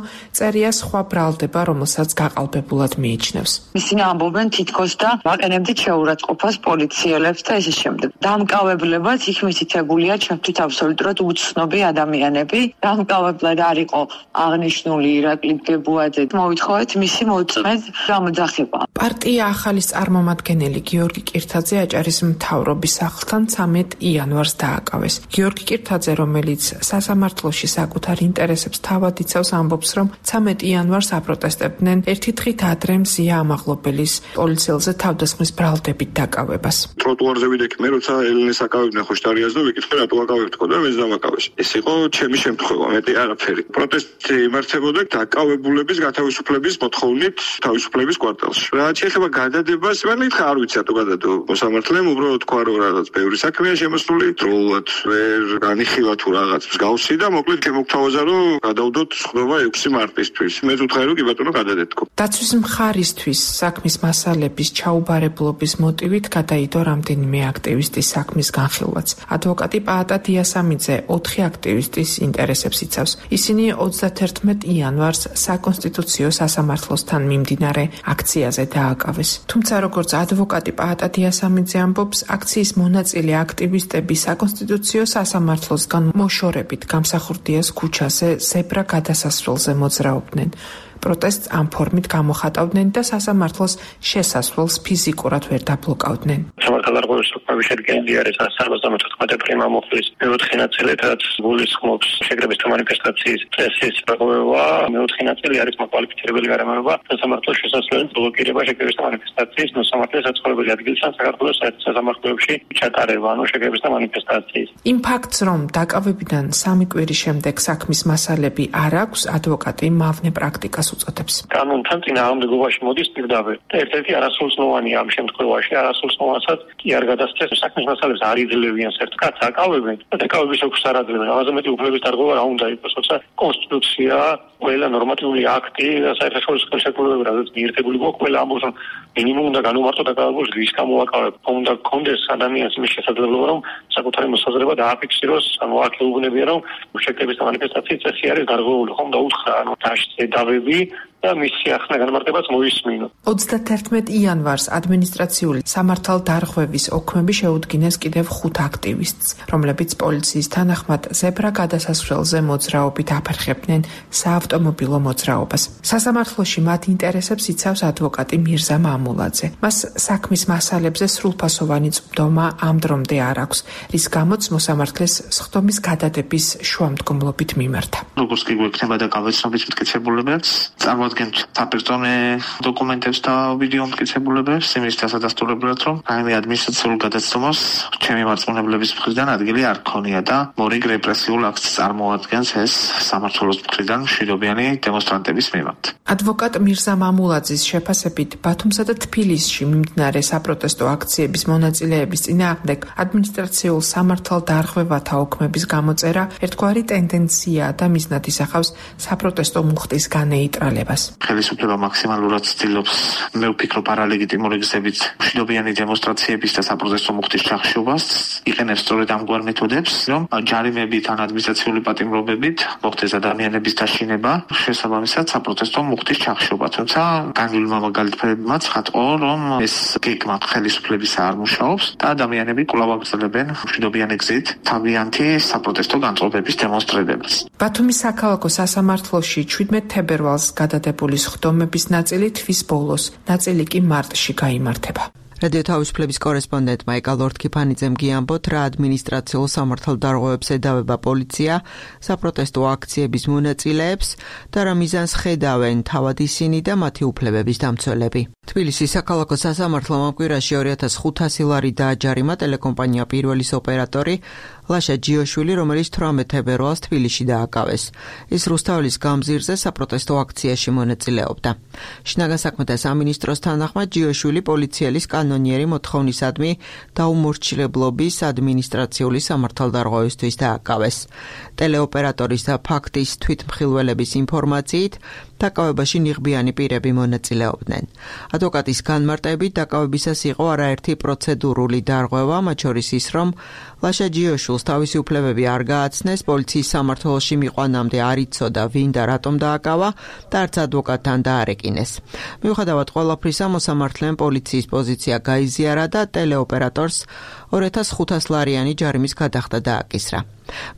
წერია სხვა ბრალდება, რომელსაც გაყალბებულად მიიჩნევს. ისინი ამბობენ თითქოს და ვაყენებდით შეურაცხყოფას პოლიციელებს და ესე შემდეგ. დამკავებლებად იქ მითითებულია ჩემთვის აბსოლუტურად უცნობი ადამიანები. დამკავებლად არ იყო აღნიშნული ირაკლი გებუაძე. მოვითხოვეთ მისი მოწმედ გამოძახება. პარტია ახალის წარმომადგენელი გიორგი კირთაძე აჭარის მთავრობის სახლთან 13 იანვარს დააკავეს. გიორგი კირთაძე, რომელიც სასამართლოში საკუთარ ინტერესებს თავად იცავს, ამბობს, რომ 13 იანვარს აპროტესტებდნენ ერთი დღით ადრე მზია ამაღლობელის პოლიციელზე თავდასხმის ბრალდებით დაკავებას. ტროტუარზე ვიდექი მე, როცა ელენეს აკავებდნენ ხოშტარიას და ვიკითხე რატო აკავებთქო და მეც დამაკავეს. ეს იყო ჩემი შემთხვევა, მეტი არაფერი. პროტესტი იმართებოდა დაკავებულების გათავისუფლების მოთხოვნით თავისუფლების კვარტალში. რაც შეეხება გადადებას, მე მითხრა არ ვიცი რატო გადადო. მოსამართლემ უბრალოდ თქვა რომ რაღაც ბევრი საქმეა შემოსული, დროულად ვერ განიხილა თუ რაღაც მსგავსი და მოკლედ შემოგთავაზა რომ გადავდოთ სხდომა 6 მარტისთვის. მე ვუთხარი რომ კი ბატონო გადადეთქო. დაცვის მხარისთვის საქმის მასალების ჩაუბარებლობის მოტივით გადაიდო რამდენიმე აქტივისტის საქმის განხილვაც. ადვოკატი პაატა დიასამიძე 4 აქტივისტის ინტერესებს იცავს. ისინი 31 იანვარს საკონსტიტუციო სასამართლოსთან მიმდინარე აქციაზე დააკავეს. თუმცა როგორც ადვოკატი პაატა დიასამიძე ამბობს, აქციის მონაწილე აქტივისტები საკონსტიტუციო სასამართლოსგან მოშორებით გამსახურდიას ქუჩაზე ზებრა გადასასვლელზე მოძრაობდნენ. პროტესტს ამ ფორმით გამოხატავდნენ და სასამართლოს შესასვლელს ფიზიკურად ვერ დაბლოკავდნენ. სამართალდარღვევის საქმეების შედგენილი არის 174 პრიმა მოხლის მეოთხე ნაწილი, რაც გულისხმობს შეკრებისთა მანიფესტაციის წესის რღვევა. მეოთხე ნაწილი არის მოკვალიფიცირებელი გარემოება სასამართლოს შესასვლელის ბლოკირება შეკრებისთა მანიფესტაციის მოსამართლე საცხოვრებელი ადგილიდან საქართველოს სასამართლოებში ჩატარება, ანუ შეკრებისთა მანიფესტაციის. იმ ფაქტს, რომ დაკავებიდან 3 კვირის შემდეგ საქმის მასალები არ აქვს, ადვოკატი მავნე პრაქტიკას უწოდებს. კანონთან წინააღმდეგობაში მოდის პირდაპირ და ერთ-ერთი არასრულწლოვანია ამ შემთხვევაში, არასრულწლოვანსაც კი არ გადასცეს საქმის მასალებს არ იძლევიან ერთ კაცს აკავებენ და დაკავების ოქს არ აძლევენ. ამაზე მეტი უფლების დარღვევა რა უნდა იყოს, როცა კონსტიტუცია, ყველა ნორმატიული აქტი და საერთაშორისო ხელშეკრულებები, რაც მიერთებული გვაქვს, ყველა ამბობს, რომ მინიმუმ უნდა განუმარტო დაკავებულს რის გამოაკავებ. უნდა გქონდეს ადამიანს იმის შესაძლებლობა, რომ საკუთარი მოსაზრება დააფიქსიროს, ანუ აქ ეუბნებიან, რომ შეკრების და მანიფესტაციის წესი არის დარღვეული, ხომ და უთხრა, ანუ დაშწე დავები და მისი ახლა განმარტებაც მოისმინო. 31 იანვარს ადმინისტრაციული სამართალდარღვევის ოქმები შეუდგინეს კიდევ 5 აქტივისტს, რომლებიც პოლიციის თანახმად ზებრა გადასასვლელზე მოძრაობით აფერხებდნენ საავტომობილო მოძრაობას. სასამართლოში მათ ინტერესებს იცავს ადვოკატი მირზა მამულაძე. მას საქმის მასალებზე სრულფასოვანი წვდომა ამ დრომდე არ აქვს, რის გამოც მოსამართლეს სხდომის გადადების შუამდგომლობით მიმართა. როგორც კი გვექნება დაკავება მტკიცებულებებს, წარადგენთ საპერტონე დოკუმენტებს და ვიდეო მტკიცებულებებს იმის დასადასტურებლად, რომ რაიმე ადმინისტრაციულ გადაცემას ჩემი მარწმუნებლების მხრიდან ადგილი არ ქონია და მორიგ რეპრესიულ აქტს წარმოადგენს ეს სამმართველოს მხრიდან მშვიდობიანი დემონსტრანტების მიმართ. ადვოკატ მირზა მამულაძის შეფასებით ბათუმსა და თბილისში მიმდინარე საპროტესტო აქციების მონაწილეების წინააღმდეგ ადმინისტრაციულ სამართალდარღვევათა ოქმების გამოწერა ერთგვარი ტენდენციაა და მიზნად ისახავს საპროტესტო მუხტის განეიტრალებას. ხელისუფლება მაქსიმალურად ცდილობს, მე ვფიქრობ, არალეგიტიმური გზებით მშვიდობიანი დემონსტრაციების და საპროტესტო მუხტის ჩახშობას, იყენებს სწორედ ამგვარ მეთოდებს, რომ ჯარიმებით ან ადმინისტრაციული პატიმრობებით მოხდეს ადამიანების დაშინება, შესაბამისად საპროტესტო მუხტის ჩახშობა. თუმცა განვლილმა მაგალითებმა ცხადყო, რომ ეს გეგმა ხელისუფლებისა არ მუშაობს და ადამიანები კვლავ აგრძელებენ მშვიდობიანი გზით თავიანთი საპროტესტო განწყობების დემონსტრირებას. ბათუმის საქალაქო სასამართლოში 17 თებერვალს გადადებული სხდომების ნაწილი თვის ბოლოს, ნაწილი კი მარტში გაიმართება. რადიო თავისუფლების კორესპონდენტმა ეკა ლორდ-ქიფანიძემ გიამბოთ, რა ადმინისტრაციულ სამართალდარღვევებს ედავება პოლიცია საპროტესტო აქციების მონაწილეებს და რა მიზანს ხედავენ თავად ისინი და მათი უფლებების დამცველები. თბილისის საქალაქო სასამართლომ ამ კვირაში 2500 ლარი დააჯარიმა ტელეკომპანია პირველის ოპერატორი ლაშა ჯიოშვილი, რომელიც 18 თებერვალს თბილისში დააკავეს. ის რუსთაველის გამზირზე საპროტესტო აქციაში მონაწილეობდა. შინაგან საქმეთა სამინისტროს თანახმად ჯიოშვილი პოლიციელის კანონიერი მოთხოვნისადმი დაუმორჩილებლობის ადმინისტრაციული სამართალდარღვევისთვის დააკავეს. ტელეოპერატორის და ფაქტის თვითმხილველების ინფორმაციით დაკავებაში ნიღბიანი პირები მონაწილეობდნენ. ადვოკატის განმარტებით დაკავებისას იყო არაერთი პროცედურული დარღვევა, მათ შორის ის, რომ ლაშა ჯიოშვილს თავისი უფლებები არ გააცნეს, პოლიციის სამმართველოში მიყვანამდე არ იცოდა ვინ და რატომ დააკავა და არც ადვოკატთან დაარეკინეს. მიუხედავად ყველაფრისა, მოსამართლემ პოლიციის პოზიცია გაიზიარა და ტელეოპერატორს 2500 ლარიანი ჯარიმის გადახდა დააკისრა.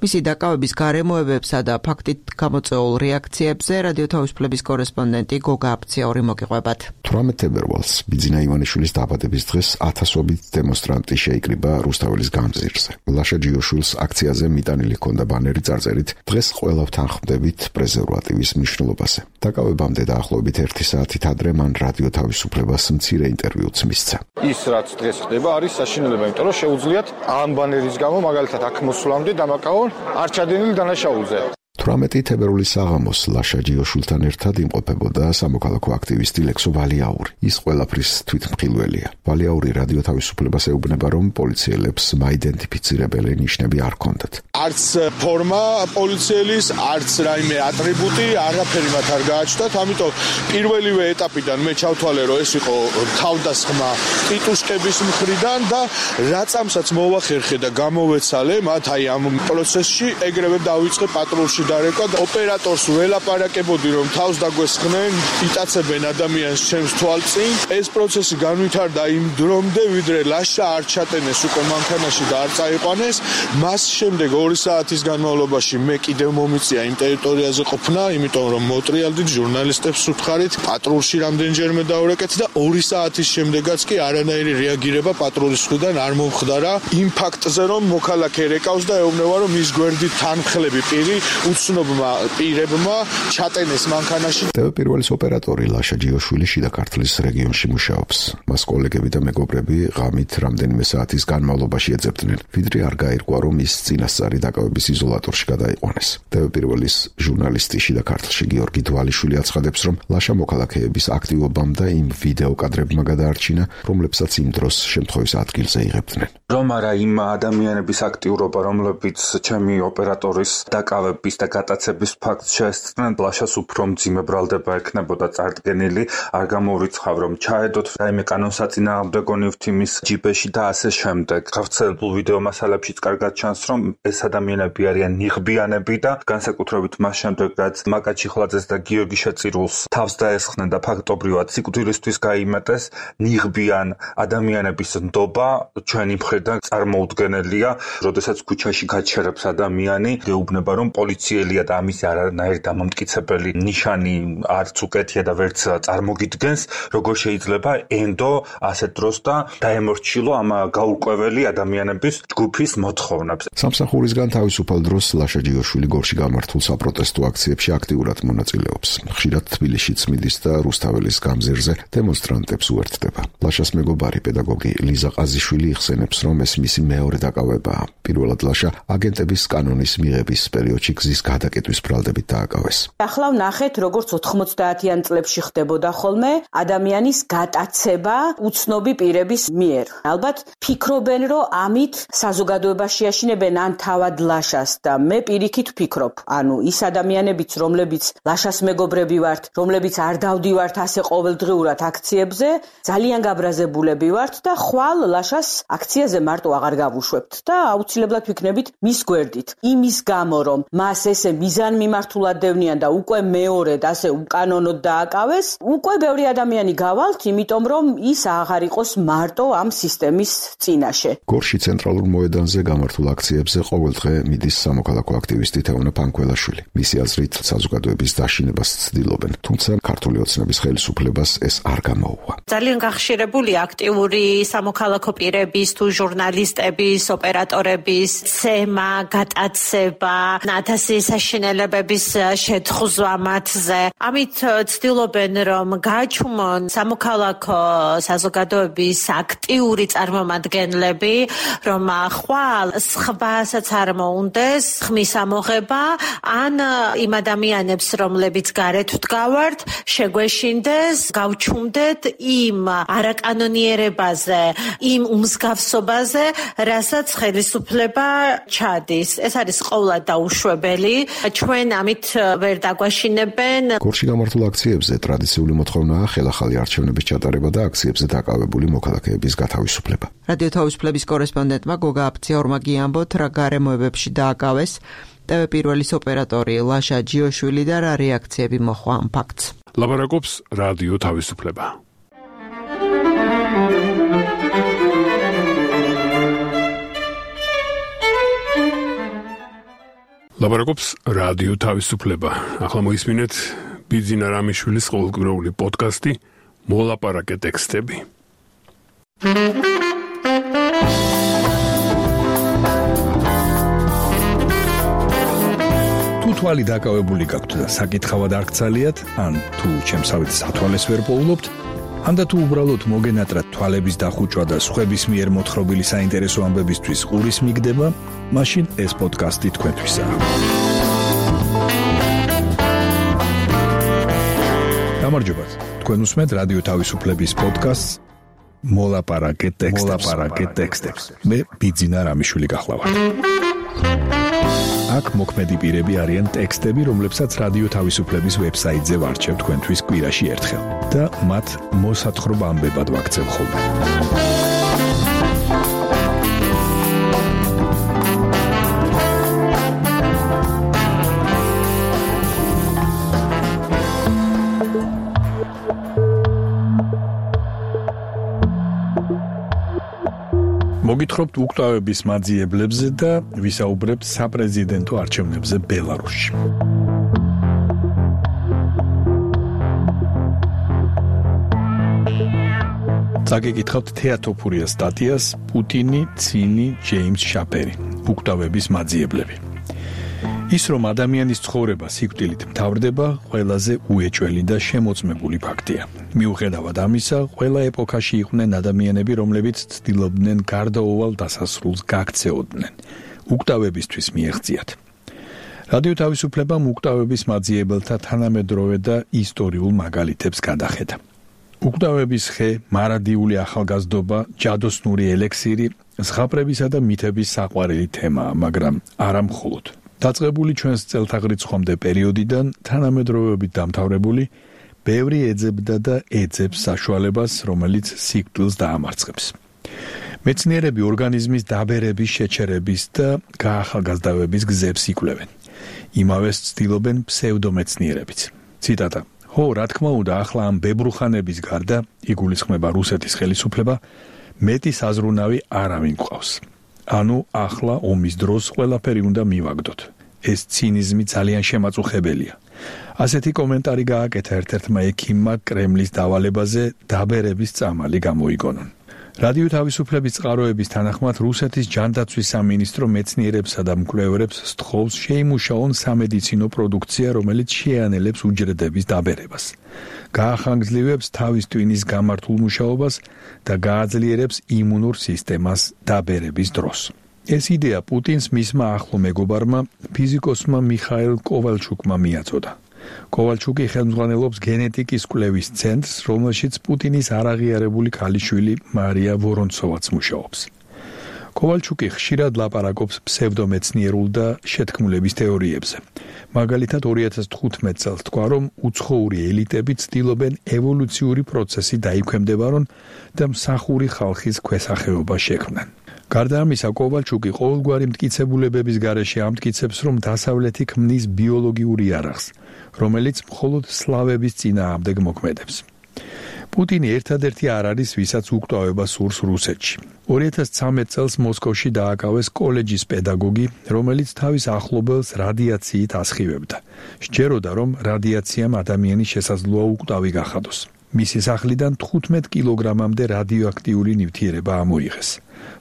მისი დაკავების გარემოებებსა და ფაქტით გამოწვეულ რეაქციებზე რადიო თავისუფლების კორესპონდენტი გოგა აფციური მოგიყვებათ. 18 თებერვალს ბიძინა ივანიშვილის დაბადების დღეს ათასობით დემონსტრანტი შეიკრიბა რუსთაველის გამზირზე. ლაშა ჯიოშვილს აქციაზე მიტანილი ჰქონდა ბანერი წარწერით დღეს ყველა ვთანხმდებით პრეზერვატივის მნიშვნელობაზე. დაკავებამდე დაახლოებით 1 საათით ადრე მან რადიო თავისუფლებას მცირე ინტერვიუც მისცა. ის რაც დღეს ხდება არის საშინელება, იმიტომ რომ შეუძლიათ ამ ბანერის გამო მაგალითად აქ მოსვლამდე დამაკავონ არ ჩადენილი დანაშაულზე. 18 თებერვლის საღამოს ლაშა ჯიოშვილთან ერთად იმყოფებოდა სამოქალაქო აქტივისტი ლექსო ვალიაური. ის ყველაფრის თვითმხილველია. ვალიაური რადიო თავისუფლებას ეუბნება, რომ პოლიციელებს მაიდენტიფიცირებელი ნიშნები არ ჰქონდათ. არც ფორმა პოლიციელის, არც რაიმე ატრიბუტი, არაფერი მათ არ გააჩნდათ, ამიტომ პირველივე ეტაპიდან მე ჩავთვალე, რომ ეს იყო თავდასხმა ტიტუშკების მხრიდან და რაცამსაც მოვახერხე და გამოვეცალე მათ აი ამ პროცესში, ეგრევე დავიწყე პატრულში დარეკვა და ოპერატორს ველაპარაკებოდი, რომ თავს დაგვესხნენ, იტაცებენ ადამიანს ჩემს თვალწინ. ეს პროცესი განვითარდა იმ დრომდე, ვიდრე ლაშა არ ჩატენეს უკვე მანქანაში და არ წაიყვანეს. მას შემდეგ 2 საათის განმავლობაში მე კიდევ მომიწია იმ ტერიტორიაზე ყოფნა, იმიტომ რომ მოტრიალდით ჟურნალისტებს უთხარით, პატრულში რამდენჯერმე დავრეკეთ და 2 საათის შემდეგაც კი არანაირი რეაგირება პატრულის მხრიდან არ მომხდარა იმ ფაქტზე, რომ მოქალაქე რეკავს და ეუბნება, რომ ის გვერდით თანმხლები პირი უცნობმა პირებმა ჩატენეს მანქანაში. პირველის ოპერატორი ლაშა ჯიოშვილი შიდა ქართლის რეგიონში მუშაობს. მას კოლეგები და მეგობრები ღამით რამდენიმე საათის განმავლობაში ეძებდნენ, ვიდრე არ გაირკვა, რომ ის წინასწარი დაკავების იზოლატორში გადაიყვანეს. პირველის ჟურნალისტი შიდა ქართლში გიორგი დვალიშვილი აცხადებს, რომ ლაშა მოქალაქეების აქტივობამ და იმ ვიდეო კადრებმა გადაარჩინა, რომლებსაც იმ დროს შემთხვევის ადგილზე იღებდნენ. რომ არა იმ ადამიანების აქტიურობა, რომლებიც ჩემი ოპერატორის დაკავების და გატაცების ფაქტს შეესწრნენ, ლაშას უფრო მძიმე ბრალდება ექნებოდა წარდგენილი, არ გამოვრიცხავ, რომ ჩაედოთ რაიმე კანონსაწინააღმდეგო ნივთი ჯიბეში და ასე შემდეგ. გავრცელებულ ვიდეო მასალებშიც კარგად ჩანს, რომ ეს ადამიანები არიან ნიღბიანები და განსაკუთრებით მას შემდეგ, რაც მაკა ჩიხლაძეს და გიორგი შეწირულს თავს დაესხნენ და ფაქტობრივად სიკვდილისთვის გაიმეტეს, ნიღბიან ადამიანების ნდობა ჩვენი მხრიდან წარმოუდგენელია. როდესაც ქუჩაში გაჩერებს ადამიანი, გეუბნება, რომ პოლიცია ოფიციელია და ამის არანაირი დამამტკიცებელი ნიშანი არც უკეთია და ვერც წარმოგიდგენს, როგორ შეიძლება ენდო ასეთ დროს და დაემორჩილო ამ გაურკვეველი ადამიანების ჯგუფის მოთხოვნებს. სამსახურისგან თავისუფალ დროს ლაშა ჯიოშვილი გორში გამართულ საპროტესტო აქციებში აქტიურად მონაწილეობს. ხშირად თბილისშიც მიდის და რუსთაველის გამზირზე დემონსტრანტებს უერთდება. ლაშას მეგობარი პედაგოგი ლიზა ყაზიშვილი იხსენებს, რომ ეს მისი მეორე დაკავებაა. პირველად ლაშა აგენტების კანონის მიღების პერიოდში გზის გადაკეტვის ბრალდებით დააკავეს. ახლა ვნახეთ, როგორც 90-იან წლებში ხდებოდა ხოლმე ადამიანის გატაცება უცნობი პირების მიერ. ალბათ ფიქრობენ, რომ ამით საზოგადოებაში აშინებენ ან თავად ლაშას და მე პირიქით ვფიქრობ, ანუ ის ადამიანებიც, რომლებიც ლაშას მეგობრები ვართ, რომლებიც არ დავდივართ ასე ყოველდღიურად აქციებზე, ძალიან გაბრაზებულები ვართ და ხვალ ლაშას აქციაზე მარტო აღარ გავუშვებთ და აუცილებლად ვიქნებით მის გვერდით. იმის გამო, რომ მას ესე მიზანმიმართულად დევნიან და უკვე მეორედ ასე უკანონოდ დააკავეს, უკვე ბევრი ადამიანი გავალთ, იმიტომ რომ ის აღარ იყოს მარტო ამ სისტემის წინაშე. გორში ცენტრალურ მოედანზე გამართულ აქციებზე ყოველდღე მიდის სამოქალაქო აქტივისტი თეონა ფანქველაშვილი. მისი აზრით, საზოგადოების დაშინებას ცდილობენ, თუმცა ქართული ოცნების ხელისუფლებას ეს არ გამოუვა. ძალიან გახშირებული აქტიური სამოქალაქო პირების თუ ჟურნალისტების, ოპერატორების ცემა, გატაცება, ათასი საშინელებების შეთხზვა მათზე. ამით ცდილობენ, რომ გააჩუმონ სამოქალაქო საზოგადოების აქტიური წარმომადგენლები, რომ ხვალ სხვასაც არ მოუნდეს ხმის ამოღება, ან იმ ადამიანებს, რომლებიც გარეთ ვდგავართ, შეგვეშინდეს, გავჩუმდეთ იმ არაკანონიერებაზე, იმ უმსგავსობაზე, რასაც ხელისუფლება ჩადის. ეს არის ყოვლად დაუშვებელი. ჩვენ ამით ვერ დაგვაშინებენ. გორში გამართულ აქციებზე ტრადიციული მოთხოვნაა ხელახალი არჩევნების ჩატარება და აქციებზე დაკავებული მოქალაქეების გათავისუფლება. რადიო თავისუფლების კორესპონდენტმა გოგა აფციორმა გიამბოთ, რა გარემოებებში დააკავეს TV პირველის ოპერატორი ლაშა ჯიოშვილი და რა რეაქციები მოჰყვა ამ ფაქტს. ლაბარაკობს რადიო თავისუფლება. ლაბარაკობს რადიო თავისუფლება. ახლა მოისმინეთ ბიძინა რამიშვილის ყოველკვირეული პოდკასტი მოლაპარაკე ტექსტები. თუ თვალი დაკავებული გაქვთ და საკითხავად არ გცალიათ, ან თუ ჩემსავით სათვალეს ვერ პოულობთ, ანდა თუ უბრალოდ მოგენატრათ თვალების დახუჭვა და სხვების მიერ მოთხრობილი საინტერესო ამბებისთვის ყურის მიგდება, მაშინ ეს პოდკასტი თქვენთვისაა. გამარჯობათ, თქვენ უსმენთ რადიო თავისუფლების პოდკასტს მოლაპარაკე ტექსტებს. მე ბიძინა რამიშვილი გახლავართ. აქ მოქმედი პირები არიან ტექსტები, რომლებსაც რადიო თავისუფლების ვებსაიტზე ვარჩევ თქვენთვის კვირაში ერთხელ და მათ მოსათხრობ ამბებად ვაქცევ ხოლმე. მოგითხრობთ უკვდავების მაძიებლებზე და ვისაუბრებთ საპრეზიდენტო არჩევნებზე ბელარუსში. წაგიკითხავთ თეატოფურიას სტატიას პუტინი, ცინი, ჯეიმს შაპერი, უკვდავების მაძიებლები. ის რომ ადამიანის ცხოვრება სიკვდილით მთავრდება, ყველაზე უეჭველი და შემოწმებული ფაქტია. მიუხედავად ამისა, ყველა ეპოქაში იყვნენ ადამიანები, რომლებიც ცდილობდნენ გარდაუვალ დასასრულს გაქცეოდნენ. უკვდავებისთვის მიეღწიათ. რადიო თავისუფლებამ უკვდავების მაძიებელთა თანამედროვე და ისტორიულ მაგალითებს გადახედა. უკვდავების ხე, მარადიული ახალგაზრდობა, ჯადოსნური ელექსირი, ზღაპრებისა და მითების საყვარელი თემაა, მაგრამ არა მხოლოდ. დაწყებული ჩვენს წელთაღრიცხვამდე პერიოდიდან თანამედროვეობით დამთავრებული, ბევრი ეძებდა და ეძებს საშუალებას, რომელიც სიკვდილს დაამარცხებს. მეცნიერები ორგანიზმის დაბერების, შეჩერების და გაახალგაზრდავების გზებს იკვლევენ. იმავეს ცდილობენ ფსევდომეცნიერებიც. ციტატა: "ხო, რა თქმა უნდა, ახლა ამ ბებრუხანების გარდა, იგულისხმება რუსეთის ხელისუფლება, მეტი საზრუნავი არავინ გვყავს. ანუ ახლა ომის დროს ყველაფერი უნდა მივაგდოთ. ეს ცინიზმი ძალიან შემაწუხებელია. ასეთი კომენტარი გააკეთა ერთ-ერთმა ექიმმა კრემლის დავალებაზე დაბერების წამალი გამოიგონონ. რადიო თავისუფლების წყაროების თანახმად რუსეთის ჯანდაცვის სამინისტრო მეცნიერებსა და მკვლევარებს სთხოვს შეიმუშაონ სამედიცინო პროდუქცია, რომელიც შეანელებს უჯრედების დაბერებას. გაახანგრძლივებს თავის ტვინის გამართულ მუშაობას და გააძლიერებს იმუნურ სისტემას დაბერების დროს. ეს იდეა პუტინს მისმა ახლო მეგობარმა ფიზიკოსმა მიხაილ კოვალჩუკმა მიაწოდა. კოვალჩუკი ხელმძღვანელობს გენეტიკის კვლევის ცენტრს, რომელშიც პუტინის არაღიარებული ქალიშვილი მარია ვორონცოვაც მუშაობს. კოვალჩუკი ხშირად ლაპარაკობს ფსევდომეცნიერულ და შეთქმულების თეორიებზე. მაგალითად 2015 წელს თქვა, რომ უცხოური ელიტები ცდილობენ ევოლუციური პროცესი დაიქვემდებარონ და მსახური ხალხის ქვესახეობა შექმნან. გარდა ამისა, კოვალჩუკი ყოველგვარი მტკიცებულებების გარეშე ამტკიცებს, რომ დასავლეთი ქმნის ბიოლოგიურ იარაღს, რომელიც მხოლოდ სლავების წინააღმდეგ მოქმედებს. პუტინი ერთადერთი არ არის, ვისაც უკვდავება სურს რუსეთში. 2013 წელს მოსკოვში დააკავეს კოლეჯის პედაგოგი, რომელიც თავის ახლობელს რადიაციით ასხივებდა. სჯეროდა, რომ რადიაციამ ადამიანის შესაძლოა უკვდავი გახადოს. მისი სახლიდან 15 კილოგრამამდე რადიოაქტიური ნივთიერება ამოიღეს.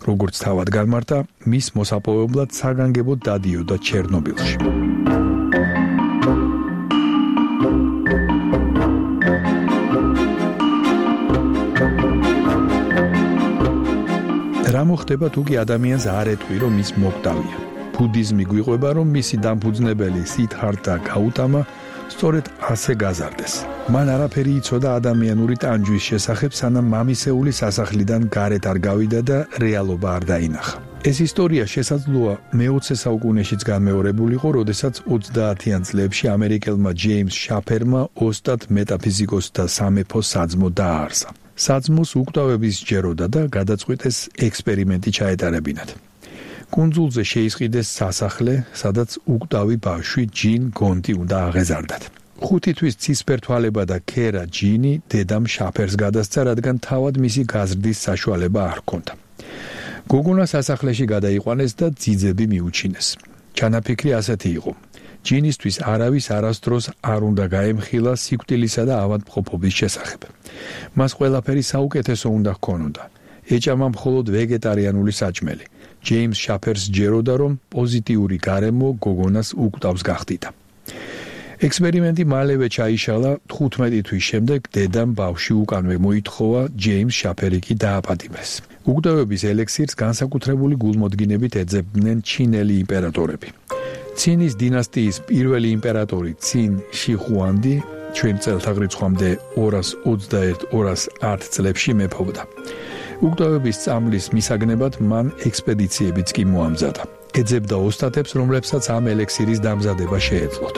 როგორც თავად განმარტა, მის მოსაპოვებლად საგანგებოდ დადიოდა ჩერნობილში. რა მოხდება თუ კი ადამიანს არ ეტყვი, რომ ის მოკვდავია? ბუდიზმი გვიყვება, რომ მისი დამფუძნებელი სიდჰარტა გაუტამა სწორედ ასე გაზარდეს. მან არაფერი იცოდა ადამიანური ტანჯვის შესახებ, სანამ მამისეული სასახლიდან გარეთ არ გავიდა და რეალობა არ დაინახა. ეს ისტორია შესაძლოა მე-20 საუკუნეშიც განმეორებულიყო, როდესაც 30-იან წლებში ამერიკელმა ჯეიმს შაფერმა ოსტატ მეტაფიზიკოსთა სამეფო საძმო დააარსა. საძმოს უკვდავების სჯეროდა და გადაწყვიტეს ექსპერიმენტი ჩაეტარებინათ. კუნძულზე შეისყიდეს სასახლე, სადაც უკვდავი ბავშვი ჯინ გონტი უნდა აღეზარდათ. 5 თვის ცისფერთვალება და ქერა ჯინი დედამ შაფერს გადასცა, რადგან თავად მისი გაზრდის საშუალება არ ჰქონდა. გოგონა სასახლეში გადაიყვანეს და ძიძები მიუჩინეს. ჩანაფიქრი ასეთი იყო: ჯინისთვის არავის არასდროს არ უნდა გაემხილა სიკვდილისა და ავადმყოფობის შესახებ. მას ყველაფერი საუკეთესო უნდა ჰქონოდა. ეჭამა მხოლოდ ვეგეტარიანული საჭმელი. ჯეიმს შაფერს სჯეროდა, რომ პოზიტიური გარემო გოგონას უკვდავს გახდიდა. ექსპერიმენტი მალევე ჩაიშალა. 15 თვის შემდეგ დედამ ბავშვი უკანვე მოითხოვა, ჯეიმს შაფერი კი დააპატიმრეს. უკვდავების ელექსირს განსაკუთრებული გულმოდგინებით ეძებდნენ ჩინელი იმპერატორები. ცინის დინასტიის პირველი იმპერატორი ცინ შიხუანდი ჩვენ წელთაღრიცხვამდე 221-210 წლებში მეფობდა. უკვდავების წამლის მისაგნებად მან ექსპედიციებიც კი მოამზადა. ეძებდა ოსტატებს, რომლებსაც ამ ელექსირის დამზადება შეეძლოთ.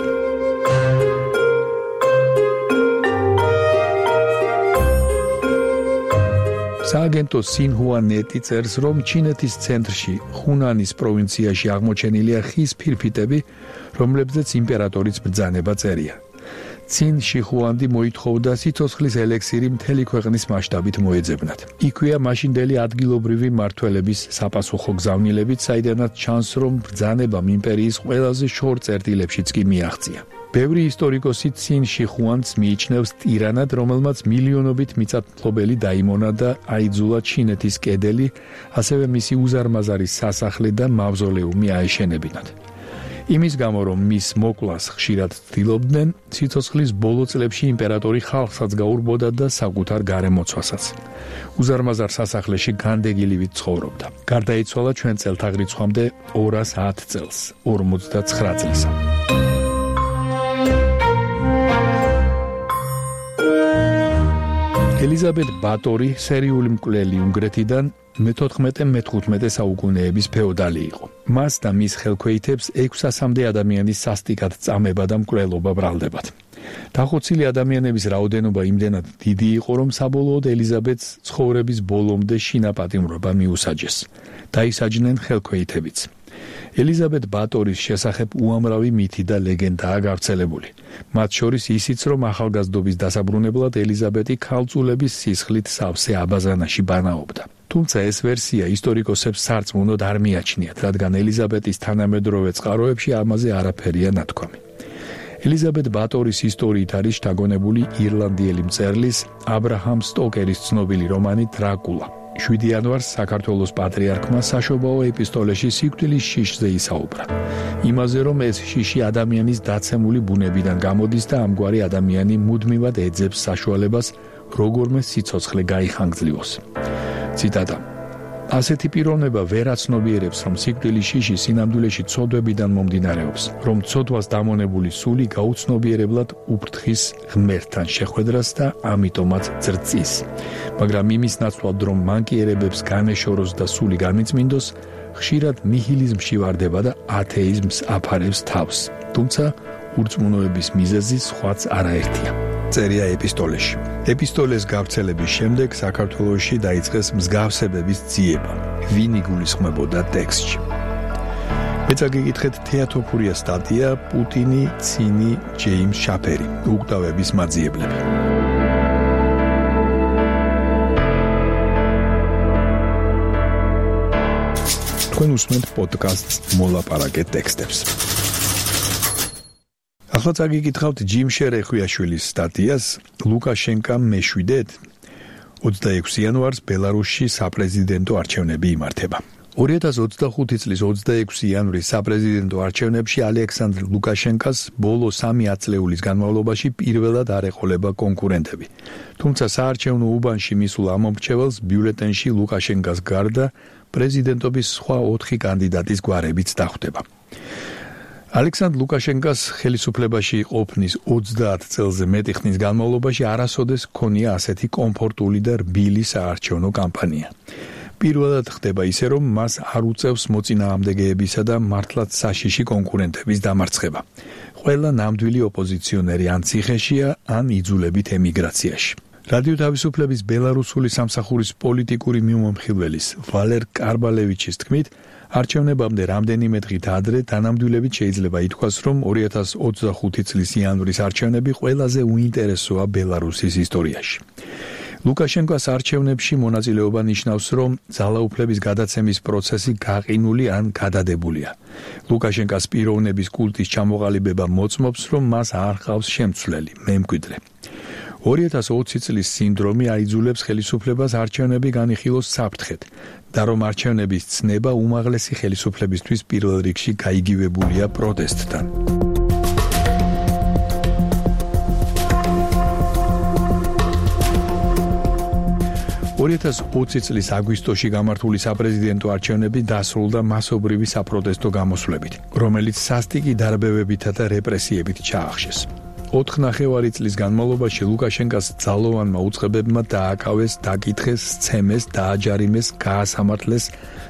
სააგენტო სინჰუა ნეტი წერს, რომ ჩინეთის ცენტრში, ხუნანის პროვინციაში აღმოჩენილია ხის ფირფიტები, რომლებზეც იმპერატორის ბრძანება წერია. ცინ შიხუანდი მოითხოვდა სიცოცხლის ელექსირი მთელი ქვეყნის მასშტაბით მოეძებნათ. იქვეა მაშინდელი ადგილობრივი მმართველების საპასუხო გზავნილებით, საიდანაც ჩანს, რომ ბრძანებამ იმპერიის ყველაზე შორ წერტილებშიც კი მიაღწია. ბევრი ისტორიკოსი ცინ შიხუანდს მიიჩნევს ტირანად, რომელმაც მილიონობით მიწათმფლობელი დაიმონა და აიძულა ჩინეთის კედელი, ასევე მისი უზარმაზარი სასახლე და მავზოლეუმი აეშენებინათ. იმის გამო, რომ მის მოკვლას ხშირად ცდილობდნენ, სიცოცხლის ბოლო წლებში იმპერატორი ხალხსაც გაურბოდა და საკუთარ გარემოცვასაც. უზარმაზარ სასახლეში განდეგილივით ცხოვრობდა. გარდაიცვალა ჩვენ წელთაღრიცხვამდე 210 წელს, 59 წლისა. ელიზაბეთ ბატორი, სერიული მკვლელი უნგრეთიდან, მე-14-მე-15 საუკუნეების ფეოდალი იყო. მას და მის ხელქვეითებს 600-მდე ადამიანის სასტიკად წამება და მკვლელობა ბრალდებათ. დახოცილი ადამიანების რაოდენობა იმდენად დიდი იყო, რომ საბოლოოდ ელიზაბეთს ცხოვრების ბოლომდე შინაპატიმრობა მიუსაჯეს. დაისაჯნენ ხელქვეითებიც. ელიზაბეთ ბატორის შესახებ უამრავი მითი და ლეგენდაა გავრცელებული. მათ შორის ისიც, რომ ახალგაზრდობის დასაბრუნებლად ელიზაბეთი ქალწულების სისხლით სავსე აბაზანაში ბანაობდა. თუმცა ეს ვერსია ისტორიკოსებს სარწმუნოდ არ მიაჩნიათ, რადგან ელიზაბეტის თანამედროვე წყაროებში ამაზე არაფერია ნათქვამი. ელიზაბეტ ბატორის ისტორიით არის შთაგონებული ირლანდიელი მწერლის აბრაჰამ სტოკერის ცნობილი რომანი დრაკულა. 7 იანვარს საქართველოს პატრიარქმა საშობაო ეპისტოლეში სიკვდილის შიშზე ისაუბრა. იმაზე, რომ ეს შიში ადამიანის დაცემული ბუნებიდან გამოდის და ამგვარი ადამიანი მუდმივად ეძებს საშუალებას როგორმე სიცოცხლე გაიხანგრძლივოს. ციტატა: ასეთი პიროვნება ვერ აცნობიერებს, რომ სიკვდილის შიში სინამდვილეში ცოდვებიდან მომდინარეობს, რომ ცოდვას დამონებული სული გაუცნობიერებლად უფრთხის ღმერთთან შეხვედრას და ამიტომაც ძრწის. მაგრამ იმის ნაცვლად, რომ მანკიერებებს განეშოროს და სული განიწმინდოს, ხშირად ნიჰილიზმში ვარდება და ათეიზმს აფარებს თავს. თუმცა ურწმუნოების მიზეზი სხვაც არაერთია. წერია ეპისტოლეში. ეპისტოლეს გავრცელების შემდეგ საქართველოში დაიწყეს მსგავსებების ძიება. ვინ იგულისხმებოდა ტექსტში? მეც გიგითხეთ თეატოფურია სტატია პუტინი, ცინი, ჯეიმს შაპერი, უკვდავების მაძიებლები. თქვენ უსმენთ პოდკასტს მოლაპარაკე ტექსტებს. ახლა წაგიკითხავთ ჯიმ შერეხვიაშვილის სტატიას ლუკაშენკამ მეშვიდეთ 26 იანვარს ბელარუსში საპრეზიდენტო არჩევნები იმართება. 2025 წლის 26 იანვრის საპრეზიდენტო არჩევნებში ალექსანდრ ლუკაშენკას ბოლო 3 ათწლეულის განმავლობაში პირველად არ ეყოლება კონკურენტები. თუმცა საარჩევნო უბანში მისულ ამომრჩეველს ბიულეტენში ლუკაშენკას გარდა პრეზიდენტობის სხვა 4 კანდიდატის გვარებიც დახვდება. ალექსანდრ ლუკაშენკას ხელისუფლებაში ყოფნის 30 წელზე მეტი ხნის განმავლობაში არასოდეს ჰქონია ასეთი კომფორტული და რბილი საარჩევნო კამპანია. პირველად ხდება ისე, რომ მას არ უწევს მოწინააღმდეგეებისა და მართლაც საშიში კონკურენტების დამარცხება. ყველა ნამდვილი ოპოზიციონერი ან ციხეშია, ან იძულებით ემიგრაციაში. რადიო თავისუფლების ბელარუსული სამსახურის პოლიტიკური მიმომხილველის ვალერ კარბალევიჩის თქმით, არჩევნებამდე რამდენიმე დღით ადრე თანამდებობით შეიძლება ითქვას, რომ 2025 წლის იანვრის არჩევნები ყველაზე უინტერესოა ბელარუსის ისტორიაში. ლუკაშენკოს არჩევნებში მონაწილეობა ნიშნავს, რომ ძალაუფლების გადაცემის პროცესი გაყინული ან გადადებულია. ლუკაშენკოს პიროვნების კულტის ჩამოყალიბება მოწმობს, რომ მას არ ყავს შემცვლელი, მემკვიდრე. 2020 წლის სინდრომი აიძულებს ხელისუფლებას არჩევნები განიხილოს საფრთხედ და რომ არჩევნების ცნება უმაღლესი ხელისუფლებისთვის პირველ რიგში გაიგივებულია პროტესტთან. 2020 წლის აგვისტოში გამართული საპრეზიდენტო არჩევნები დასრულდა მასობრივი საპროტესტო გამოსვლებით, რომელიც სასტიკი დარბევებითა და რეპრესიებით ჩაახშეს. 4.5 წლის განმავლობაში ლუკაშენკოს ძალოვანმა უწყებებმა დააკავეს, დაკითხეს, სცემეს, დააჯარიმეს, გაასამართლეს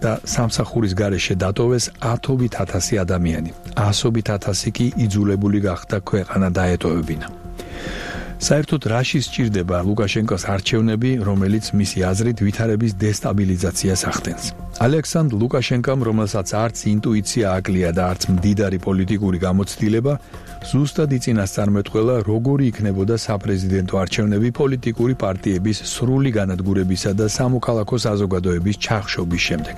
და სამსახურის გარეშე დატოვეს 10,000 ადამიანი. 100,000 კი იძულებული გახდა ქვეყანა დაეტოვებინა. საერთოდ რაში სჭირდება ლუკაშენკოს არჩევნები, რომელიც მისი აზრით ვითარების დესტაბილიზაციას ახდენს. ალექსანდრ ლუკაშენკომ, რომელსაც არც ინტუიცია აკლია და არც მდიდარი პოლიტიკური გამოცდილება, ზუსტად იწინასწარმეტყველა, როგორი იქნებოდა საპრეზიდენტო არჩევნები პოლიტიკური პარტიების სრული განადგურებისა და სამოქალაქო საზოგადოების ჩახშობის შემდეგ.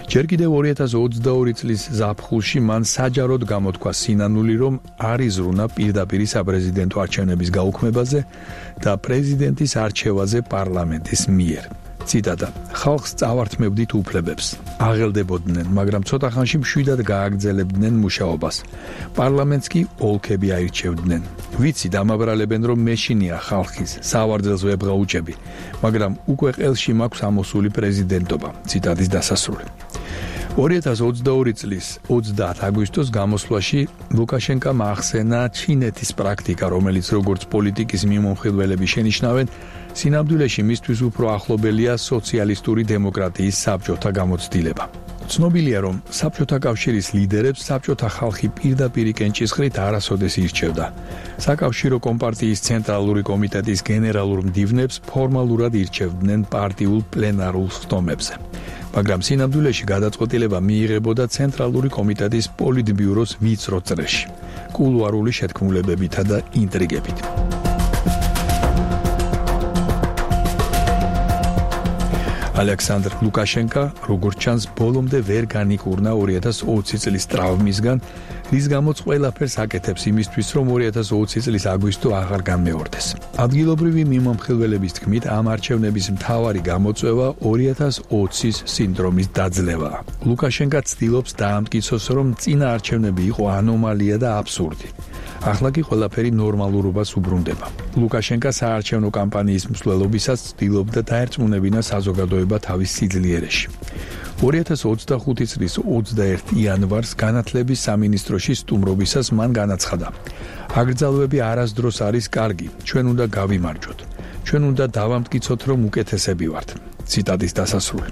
ჯერ კიდევ 2022 წლის ზაფხულში მან საჯაროდ გამოთქვა სინანული, რომ არ იზრუნა პირდაპირ საპრეზიდენტო არჩევნების გაუქმებაზე და პრეზიდენტის არჩევაზე პარლამენტის მიერ. ციტატა: ხალხს წავართმევდით უფლებებს. აღელდებოდნენ, მაგრამ ცოტა ხანში მშვიდად გააგრძელებდნენ მუშაობას. პარლამენტს კი ოლქები აირჩევდნენ. ვიცი, დამაბრალებენ, რომ მეშინია ხალხის, სავარძელს ვებღაუჭები, მაგრამ უკვე ყელში მაქვს ამოსული პრეზიდენტობა. ციტატის დასასრული. 2022 წლის 30 აგვისტოს გამოსვლაში ლუკაშენკომ ახსენა ჩინეთის პრაქტიკა, რომელიც როგორც პოლიტიკის მიმომხილველები შენიშნავენ, სინამდვილეში მისთვის უფრო ახლობელია სოციალისტური დემოკრატიის საბჭოთა გამოცდილება. ცნობილია, რომ საბჭოთა კავშირის ლიდერებს საბჭოთა ხალხი პირდაპირ კენჭისყრით არასოდეს ირჩევდა. საკავშირო კომპარტიის ცენტრალური კომიტეტის გენერალურ მდივნებს ფორმალურად ირჩევდნენ პარტიულ პლენარულ ხტომებზე. მაგრამ სინამდვილეში გადაწყვეტილება მიიღებოდა ცენტრალური კომიტეტის პოლიტბიუროს ვიწრო წრეში, კულუარული შეთქმულებებითა და ინტრიგებით. ალექსანდრ ლუკაშენკა, როგორც ჩანს, ბოლომდე ვერ განიკურნა 2020 წლის ტრავმისგან, რის გამოც ყველაფერს აკეთებს იმისთვის, რომ 2020 წლის აგვისტო აღარ განმეორდეს. ადგილობრივი მიმომხილველების თქმით, ამ არჩევნების მთავარი გამოწვევა 2020-ის სინდრომის დაძლევაა. ლუკაშენკა ცდილობს დაამტკიცოს, რომ წინა არჩევნები იყო ანომალია და აბსურდი. ახლა კი ყველაფერი ნორმალურობას უბრუნდება. ლუკაშენკა საარჩევნო კამპანიის მსვლელობისას ცდილობდა დაერწმუნებინა საზოგადოება თავის სიძლიერეში. 2025 წლის 21 იანვარს განათლების სამინისტროში სტუმრობისას მან განაცხადა: „აგრძალვები არასდროს არის კარგი, ჩვენ უნდა გავიმარჯვოთ. ჩვენ უნდა დავამტკიცოთ, რომ უკეთესები ვართ“. ციტატის დასასრული.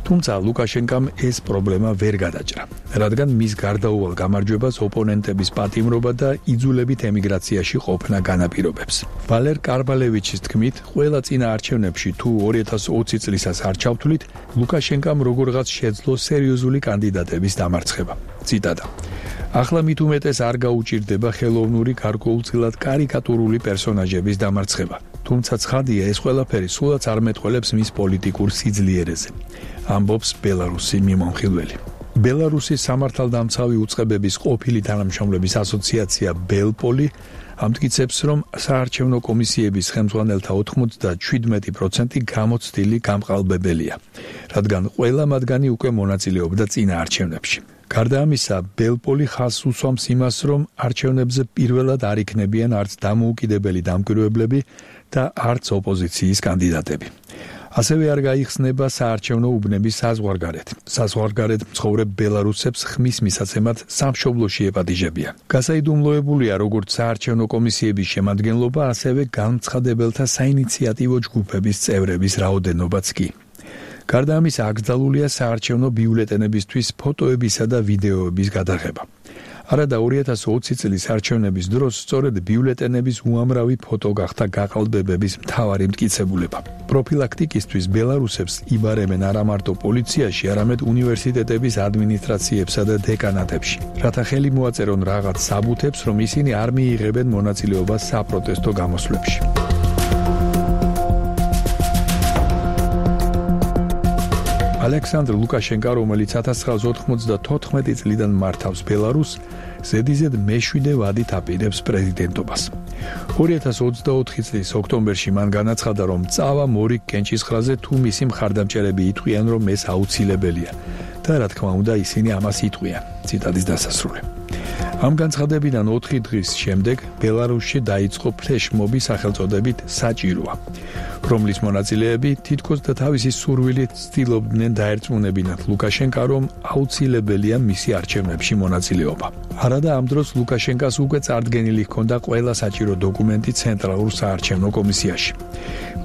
თუმცა ლუკაშენკამ ეს პრობლემა ვერ გადაჭრა, რადგან მის გარდაუვალ გამარჯვებას ოპონენტების პატიმრობა და იძულებით ემიგრაციაში ყოფნა განაპირობებს. ვალერ კარბალევიჩის თქმით, ყველა წინა არჩევნებში თუ 2020 წლისას არ ჩავთვლით, ლუკაშენკამ როგორღაც შეძლო სერიოზული კანდიდატების დამარცხება. ციტატა: „ახლა მით უმეტეს არ გაუჭირდება ხელოვნური გარკვეულწილად კარიკატურული პერსონაჟების დამარცხება. თუმცა ცხადია, ეს ყველაფერი სულაც არ მეტყველებს მის პოლიტიკურ სიძლიერეზე“. ამბობს ბელარუსი მიმომხილველი. ბელარუსის სამართალდამცავი უწყებების ყოფილი თანამშრომლების ასოციაცია ბელპოლი ამტკიცებს, რომ საარჩევნო კომისიების ხელმძღვანელთა 97% გამოცდილი გამყალბებელია, რადგან ყველა მათგანი უკვე მონაწილეობდა წინა არჩევნებში. გარდა ამისა, ბელპოლი ხაზს უსვამს იმას, რომ არჩევნებზე პირველად არ იქნებიან არც დამოუკიდებელი დამკვირვებლები და არც ოპოზიციის კანდიდატები. ასევე არ გაიხსნება საარჩევნო უბნების საზღვარგარეთ. საზღვარგარეთ მცხოვრებ ბელარუსებს ხმის მისაცემად სამშობლოში ეპატიჟებიან. გასაიდუმლოებულია როგორც საარჩევნო კომისიების შემადგენლობა, ასევე განცხადებელთა საინიციატივო ჯგუფების წევრების რაოდენობაც კი. გარდა ამისა, აკრძალულია საარჩევნო ბიულეტენებისთვის ფოტოებისა და ვიდეოების გადაღება. არადა 2020 წლის არჩევნების დროს სწორედ ბიულეტენების უამრავი ფოტო გახდა გაყალბებების მთავარი მტკიცებულება. პროფილაქტიკისთვის ბელარუსებს იბარებენ არა მარტო პოლიციაში, არამედ უნივერსიტეტების ადმინისტრაციებსა და დეკანატებში, რათა ხელი მოაწერონ რაღაც საბუთებს, რომ ისინი არ მიიღებენ მონაწილეობას საპროტესტო გამოსვლებში. ალექსანდრ ლუკაშენკა, რომელიც 1994 წლიდან მართავს ბელარუსს, ზედიზედ მეშვიდე ვადით აპირებს პრეზიდენტობას. 2024 წლის ოქტომბერში მან განაცხადა, რომ წავა მორიგ კენჭისყრაზე თუ მისი მხარდამჭერები იტყვიან, რომ ეს აუცილებელია და რა თქმა უნდა ისინი ამას იტყვიან. ციტატის დასასრული. ამ განცხადებიდან 4 დღის შემდეგ ბელარუსში დაიწყო ფლეშმობი სახელწოდებით საჭიროა, რომლის მონაწილეები თითქოს და თავისი სურვილით ცდილობდნენ დაერწმუნებინათ ლუკაშენკა, რომ აუცილებელია მისი არჩევნებში მონაწილეობა. არადა ამ დროს ლუკაშენკას უკვე წარდგენილი ჰქონდა ყველა საჭირო დოკუმენტი ცენტრალურ საარჩევნო კომისიაში.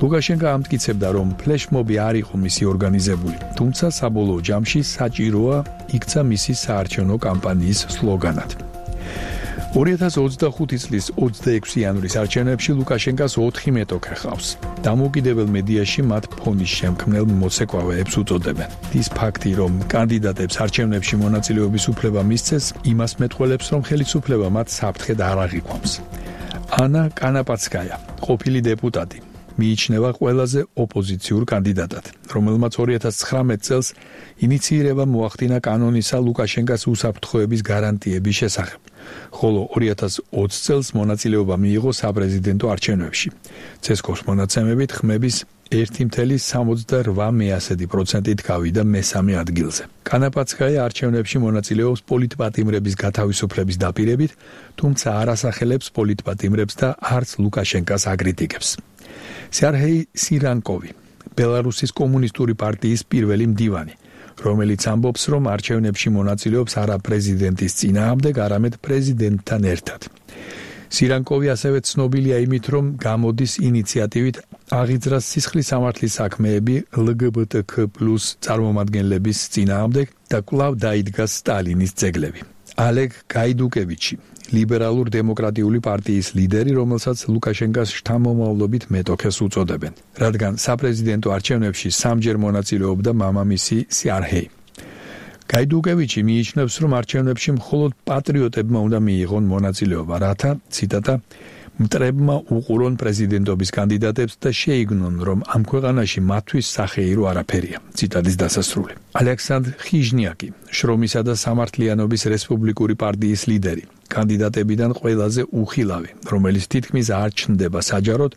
ლუკაშენკა ამტკიცებდა, რომ ფლეშმობი არ იყო მისი ორგანიზებული, თუმცა საბოლოო ჯამში საჭიროა იქცა მისი საარჩევნო კამპანიის სლოგანად. 2025 წლის 26 იანვრის არჩევნებში ლუკაშენკას 4 მეტოქე ჰყავს. დამოუკიდებელ მედიაში მათ ფონის შემქმნელ მოცეკვავეებს უწოდებენ. ის ფაქტი, რომ კანდიდატებს არჩევნებში მონაწილეობის უფლება მისცეს, იმას მეტყველებს, რომ ხელისუფლება მათ საფრთხედ არ აღიქვამს. ანა კანაპაცკაია, ყოფილი დეპუტატი, მიიჩნევა ყველაზე ოპოზიციურ კანდიდატად, რომელმაც 2019 წელს ინიცირება მოახდინა კანონისა ლუკაშენკას უსაფრთხოების გარანტიების შესახებ, ხოლო 2020 წელს მონაწილეობა მიიღო საპრეზიდენტო არჩევნებში. ცესკოს მონაცემებით ხმების 1,78% გავიდა მესამე ადგილზე. კანაპაცკაია არჩევნებში მონაწილეობს პოლიტპატიმრების გათავისუფლების დაპირებით, თუმცა არ ასახელებს პოლიტპატიმრებს და არც ლუკაშენკას აკრიტიკებს. სერგეი სირანკოვი, ბელარუსის კომუნისტური პარტიის პირველი მდივანი, რომელიც ამბობს, რომ არჩევნებში მონაწილეობს არა პრეზიდენტის წინააღმდეგ, არამედ პრეზიდენტთან ერთად. სირანკოვი ასევე ცნობილია იმით, რომ გამოდის ინიციატივით აღიძრას სისხლის სამართლის საქმეები LGBTQ+ წარმომადგენლების წინააღმდეგ და კვლავ დაიდგა სტალინის ძეგლები. ალეგ გაიდუკევიჩი, ლიბერალურ დემოკრატიული პარტიის ლიდერი, რომელსაც ლუკაშენკას შთამომავლობით მეტოქეს უწოდებენ, რადგან საპრეზიდენტო არჩევნებში სამჯერ მონაწილეობდა მამამისი სერგეი. გაიდუკევიჩი მიიჩნევს, რომ არჩევნებში მხოლოდ პატრიოტებმა უნდა მიიღონ მონაწილეობა, რათა, ციტატა, მტრებმა უყურონ პრეზიდენტობის კანდიდატებს და შეიგნონ, რომ ამ ქვეყანაში მათთვის სახეირო არაფერია. ციტატის დასასრული. ალექსანდრ ხიჟნიაკი, შრომისა და სამართლიანობის რესპუბლიკური პარტიის ლიდერი, კანდიდატებიდან ყველაზე უხილავი, რომელიც თითქმის არ ჩნდება საჯაროდ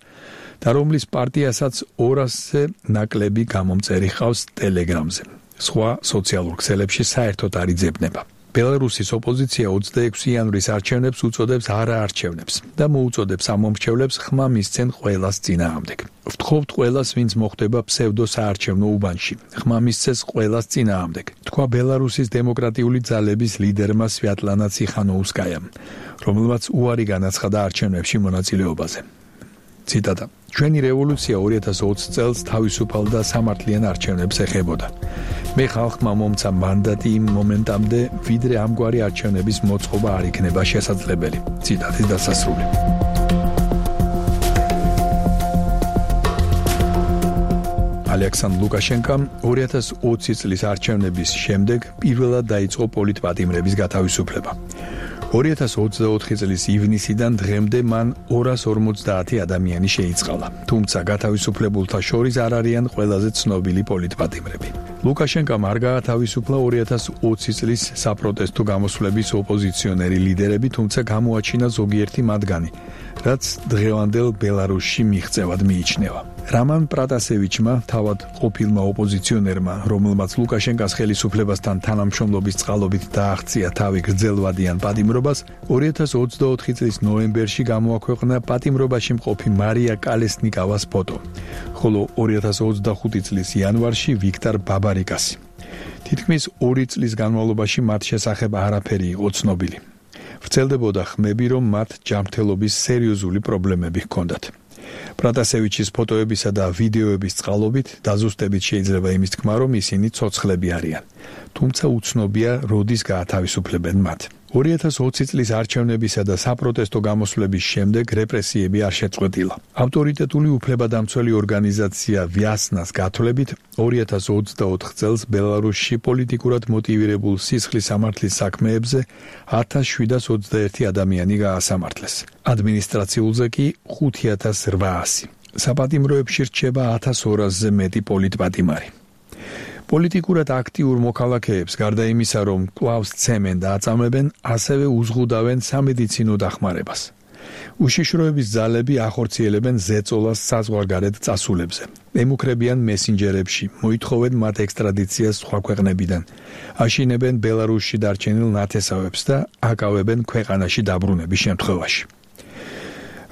და რომლის პარტიასაც 200-ზე ნაკლები გამომწერი ჰყავს ტელეგრამზე. სხვა სოციალურ ქსელებში საერთოდ არ იძებნება. ბელარუსის ოპოზიცია 26 იანვრის არჩევნებს უწოდებს არაარჩევნებს და მოუწოდებს ამ მომრჩევლებს ხმა მისცენ ყველას წინააღმდეგ. ვთხოვთ ყველას, ვინც მოხვდება ფსევდო საარჩევნო უბანში, ხმა მისცეს ყველას წინააღმდეგ, თქვა ბელარუსის დემოკრატიული ძალების ლიდერმა სვიატლანა ციხანოუსკაიამ, რომელმაც უარი განაცხადა არჩევნებში მონაწილეობაზე. ციტატა: ჩვენი რევოლუცია 2020 წელს თავისუფალ და სამართლიან არჩევნებს ეხებოდა. მე ხალხმა მომცა მანდატი იმ მომენტამდე, ვიდრე ამგვარი არჩევნების მოწყობა არ იქნება შესაძლებელი. ციტატის დასასრული. ალექსანდრ ლუკაშენკამ 2020 წლის არჩევნების შემდეგ პირველად დაიწყო პოლიტპატიმრების გათავისუფლება. 2024 წლის ივნისიდან დღემდე მან 250 ადამიანი შეიწყალა, თუმცა გათავისუფლებულთა შორის არ არიან ყველაზე ცნობილი პოლიტპატიმრები. ლუკაშენკამ არ გაათავისუფლა 2020 წლის საპროტესტო გამოსვლების ოპოზიციონერი ლიდერები, თუმცა გამოაჩინა ზოგიერთი მათგანი, რაც დღევანდელ ბელარუსში მიღწევად მიიჩნევა. რამან პრატასევიჩმა, თავად ყოფილმა ოპოზიციონერმა, რომელმაც ლუკაშენკას ხელისუფლებასთან თანამშრომლობის წყალობით დააღწია თავი გრძელვადიან პატიმრობას, 2024 წლის ნოემბერში გამოაქვეყნა პატიმრობაში მყოფი მარია კალესნიკავას ფოტო, ხოლო 2025 წლის იანვარში ვიქტორ ბაბარიკასი. თითქმის 2 წლის განმავლობაში მათ შესახებ არაფერი იყო ცნობილი. ვრცელდებოდა ხმები, რომ მათ ჯანმრთელობის სერიოზული პრობლემები ჰქონდათ. პრატასევიჩის ფოტოებისა და ვიდეოების წყალობით დაზუსტებით შეიძლება იმის თქმა, რომ ისინი ცოცხლები არიან, თუმცა უცნობია, როდის გაათავისუფლებენ მათ. 2020 წლის არჩევნებისა და საპროტესტო გამოსვლების შემდეგ რეპრესიები არ შეწყვეტილა. ავტორიტეტული უფლებადამცველი ორგანიზაცია ვიასნას გათვლებით, 2024 წელს ბელარუსში პოლიტიკურად მოტივირებულ სისხლის სამართლის საქმეებზე 1721 ადამიანი გაასამართლეს. ადმინისტრაციულზე კი 5800. საპატიმროებში რჩება 1200-ზე მეტი პოლიტპატიმარი. პოლიტიკურად აქტიურ მოქალაქეებს გარდა იმისა, რომ კვლავ სცემენ და აწამებენ, ასევე უზღუდავენ სამედიცინო დახმარებას. უშიშროების ძალები ახორციელებენ ზეწოლას საზღვარგარეთ წასულებზე. ემუქრებიან მესენჯერებში, მოითხოვენ მათ ექსტრადიციას სხვა ქვეყნებიდან. აშინებენ ბელარუსში დარჩენილ ნათესავებს და აკავებენ ქვეყანაში დაბრუნების შემთხვევაში.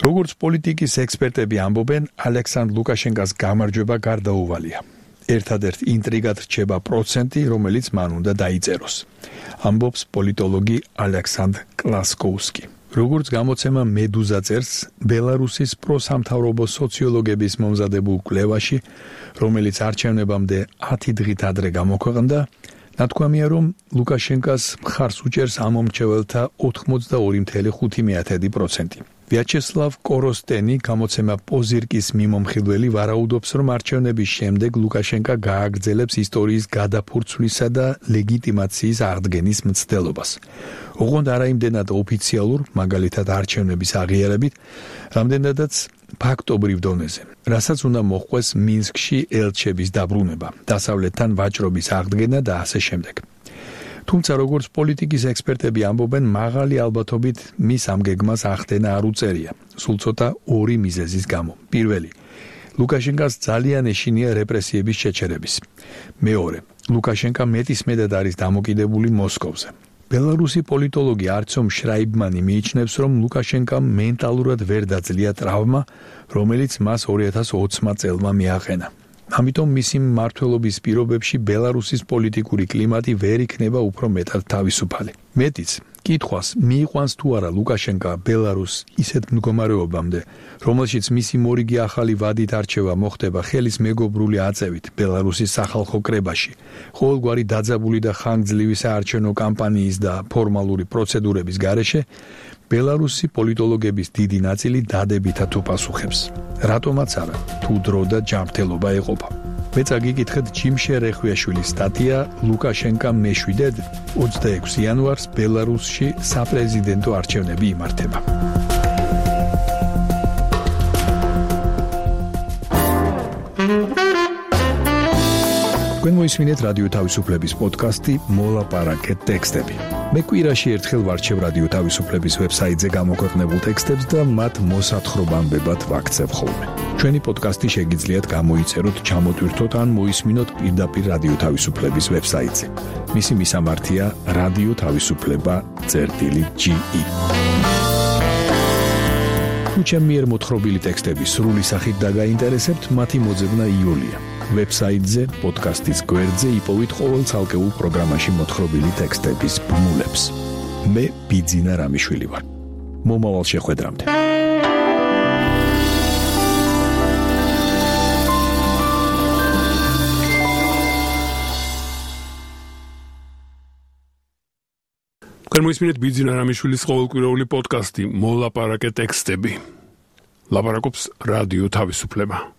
როგორც პოლიტიკის ექსპერტები ამბობენ, ალექსანდრ ლუკაშენკას გამარჯვება გარდაუვალია. ერთადერთ ინტრიგად რჩება პროცენტი, რომელიც მან უნდა დაიწეროს. ამბობს პოლიტოლოგი ალექსანდრ კლასკოვსკი. როგორც გამოცემა მედუზა წერს, ბელარუსის პროსამთავრობო სოციოლოგების მომზადებულ კვლევაში, რომელიც არჩევნებამდე 10 დღით ადრე გამოქვეყნდა, ნათქვამია, რომ ლუკაშენკას მხარს უჭერს ამ მომრჩეველთა 82.5%. ვიაჩესლავ კოროსტენი, გამოცემა პოზირკის მიმომხილველი, ვარაუდობს, რომ არჩევნების შემდეგ ლუკაშენკა გააგრძელებს ისტორიის გადაფურცვლისა და ლეგიტიმაციის აღდგენის მცდელობას. ოღონდ არა იმდენად ოფიციალურ, მაგალითად არჩევნების აღიარებით, რამდენადაც ფაქტობრივ დონეზე, რასაც უნდა მოჰყვეს მინსკში ელჩების დაბრუნება, დასავლეთთან ვაჭრობის აღდგენა და ასე შემდეგ. თუმცა როგორც პოლიტიკის ექსპერტები ამბობენ, მაღალი ალბათობით მის ამ გეგმას ახდენა არ უწერია, სულ ცოტა 2 მიზეზის გამო. პირველი, ლუკაშენკას ძალიან ეშინია რეპრესიების შეჩერების. მეორე, ლუკაშენკა მეტისმეტად არის დამოკიდებული მოსკოვზე. ბელარუსი პოლიტოლოგი არცომ შრაიბმანი მიიჩნევს, რომ ლუკაშენკამ მენტალურად ვერ დაძლია ტრავმა, რომელიც მას 2020 წელმა მიაყენა. ამიტომ მისი მმართველობის პირობებში ბელარუსის პოლიტიკური კლიმატი ვერ იქნება უფრო მეტად თავისუფალი. მეტიც, კითხვას მიიყვანს თუ არა ლუკაშენკა ბელარუსს ისეთ მდგომარეობამდე, რომელშიც მისი მორიგი ახალი ვადით არჩევა მოხდება ხელის მეგობრული აწევით ბელარუსის სახალხო კრებაში, ყოველგვარი დაძაბული და ხანგრძლივი საარჩევნო კამპანიის და ფორმალური პროცედურების გარეშე, ბელარუსი პოლიტოლოგების დიდი ნაწილი დადებითად უპასუხებს. რატომაც არა, თუ დრო და ჯანმრთელობა ეყოფა. მეც აგიკითხეთ ჯიმშე რეხვიაშვილის სტატია ლუკაშენკამ მეშვიდედ 26 იანვარს ბელარუსში საპრეზიდენტო არჩევნები იმართება. თქვენ მოისმინეთ რადიო თავისუფლების პოდკასტი მოლაპარაკე ტექსტები. მე კვირაში ერთხელ ვარჩევ რადიო თავისუფლების ვებსაიტზე გამოქვეყნებულ ტექსტებს და მათ მოსათხრობამდე ვაქცევ ხოლმე. ჩვენი პოდკასტი შეგიძლიათ გამოიწეროთ, ჩამოტვირთოთ ან მოისმინოთ პირდაპირ რადიო თავისუფლების ვებსაიტზე. მისი მისამართია რადიო თავისუფლება.ge. თუ ჩემი მიერ მოთხრობილი ტექსტები სრული სახით დაგაინტერესებთ, მათი მოძებნა იოლია. ვებსაიტზე, პოდკასტის გვერდზე იპოვით ყოველ ცალკეულ პროგრამაში მოთხრობილი ტექსტების ბმულებს. მე ბიძინა რამიშვილი ვარ. მომავალ შეხვედრამდე. მოისმინეთ ბიძინა რამიშვილის ყოველკვირეული პოდკასტი მოლაპარაკე ტექსტები. ლაპარაკობს რადიო თავისუფლება.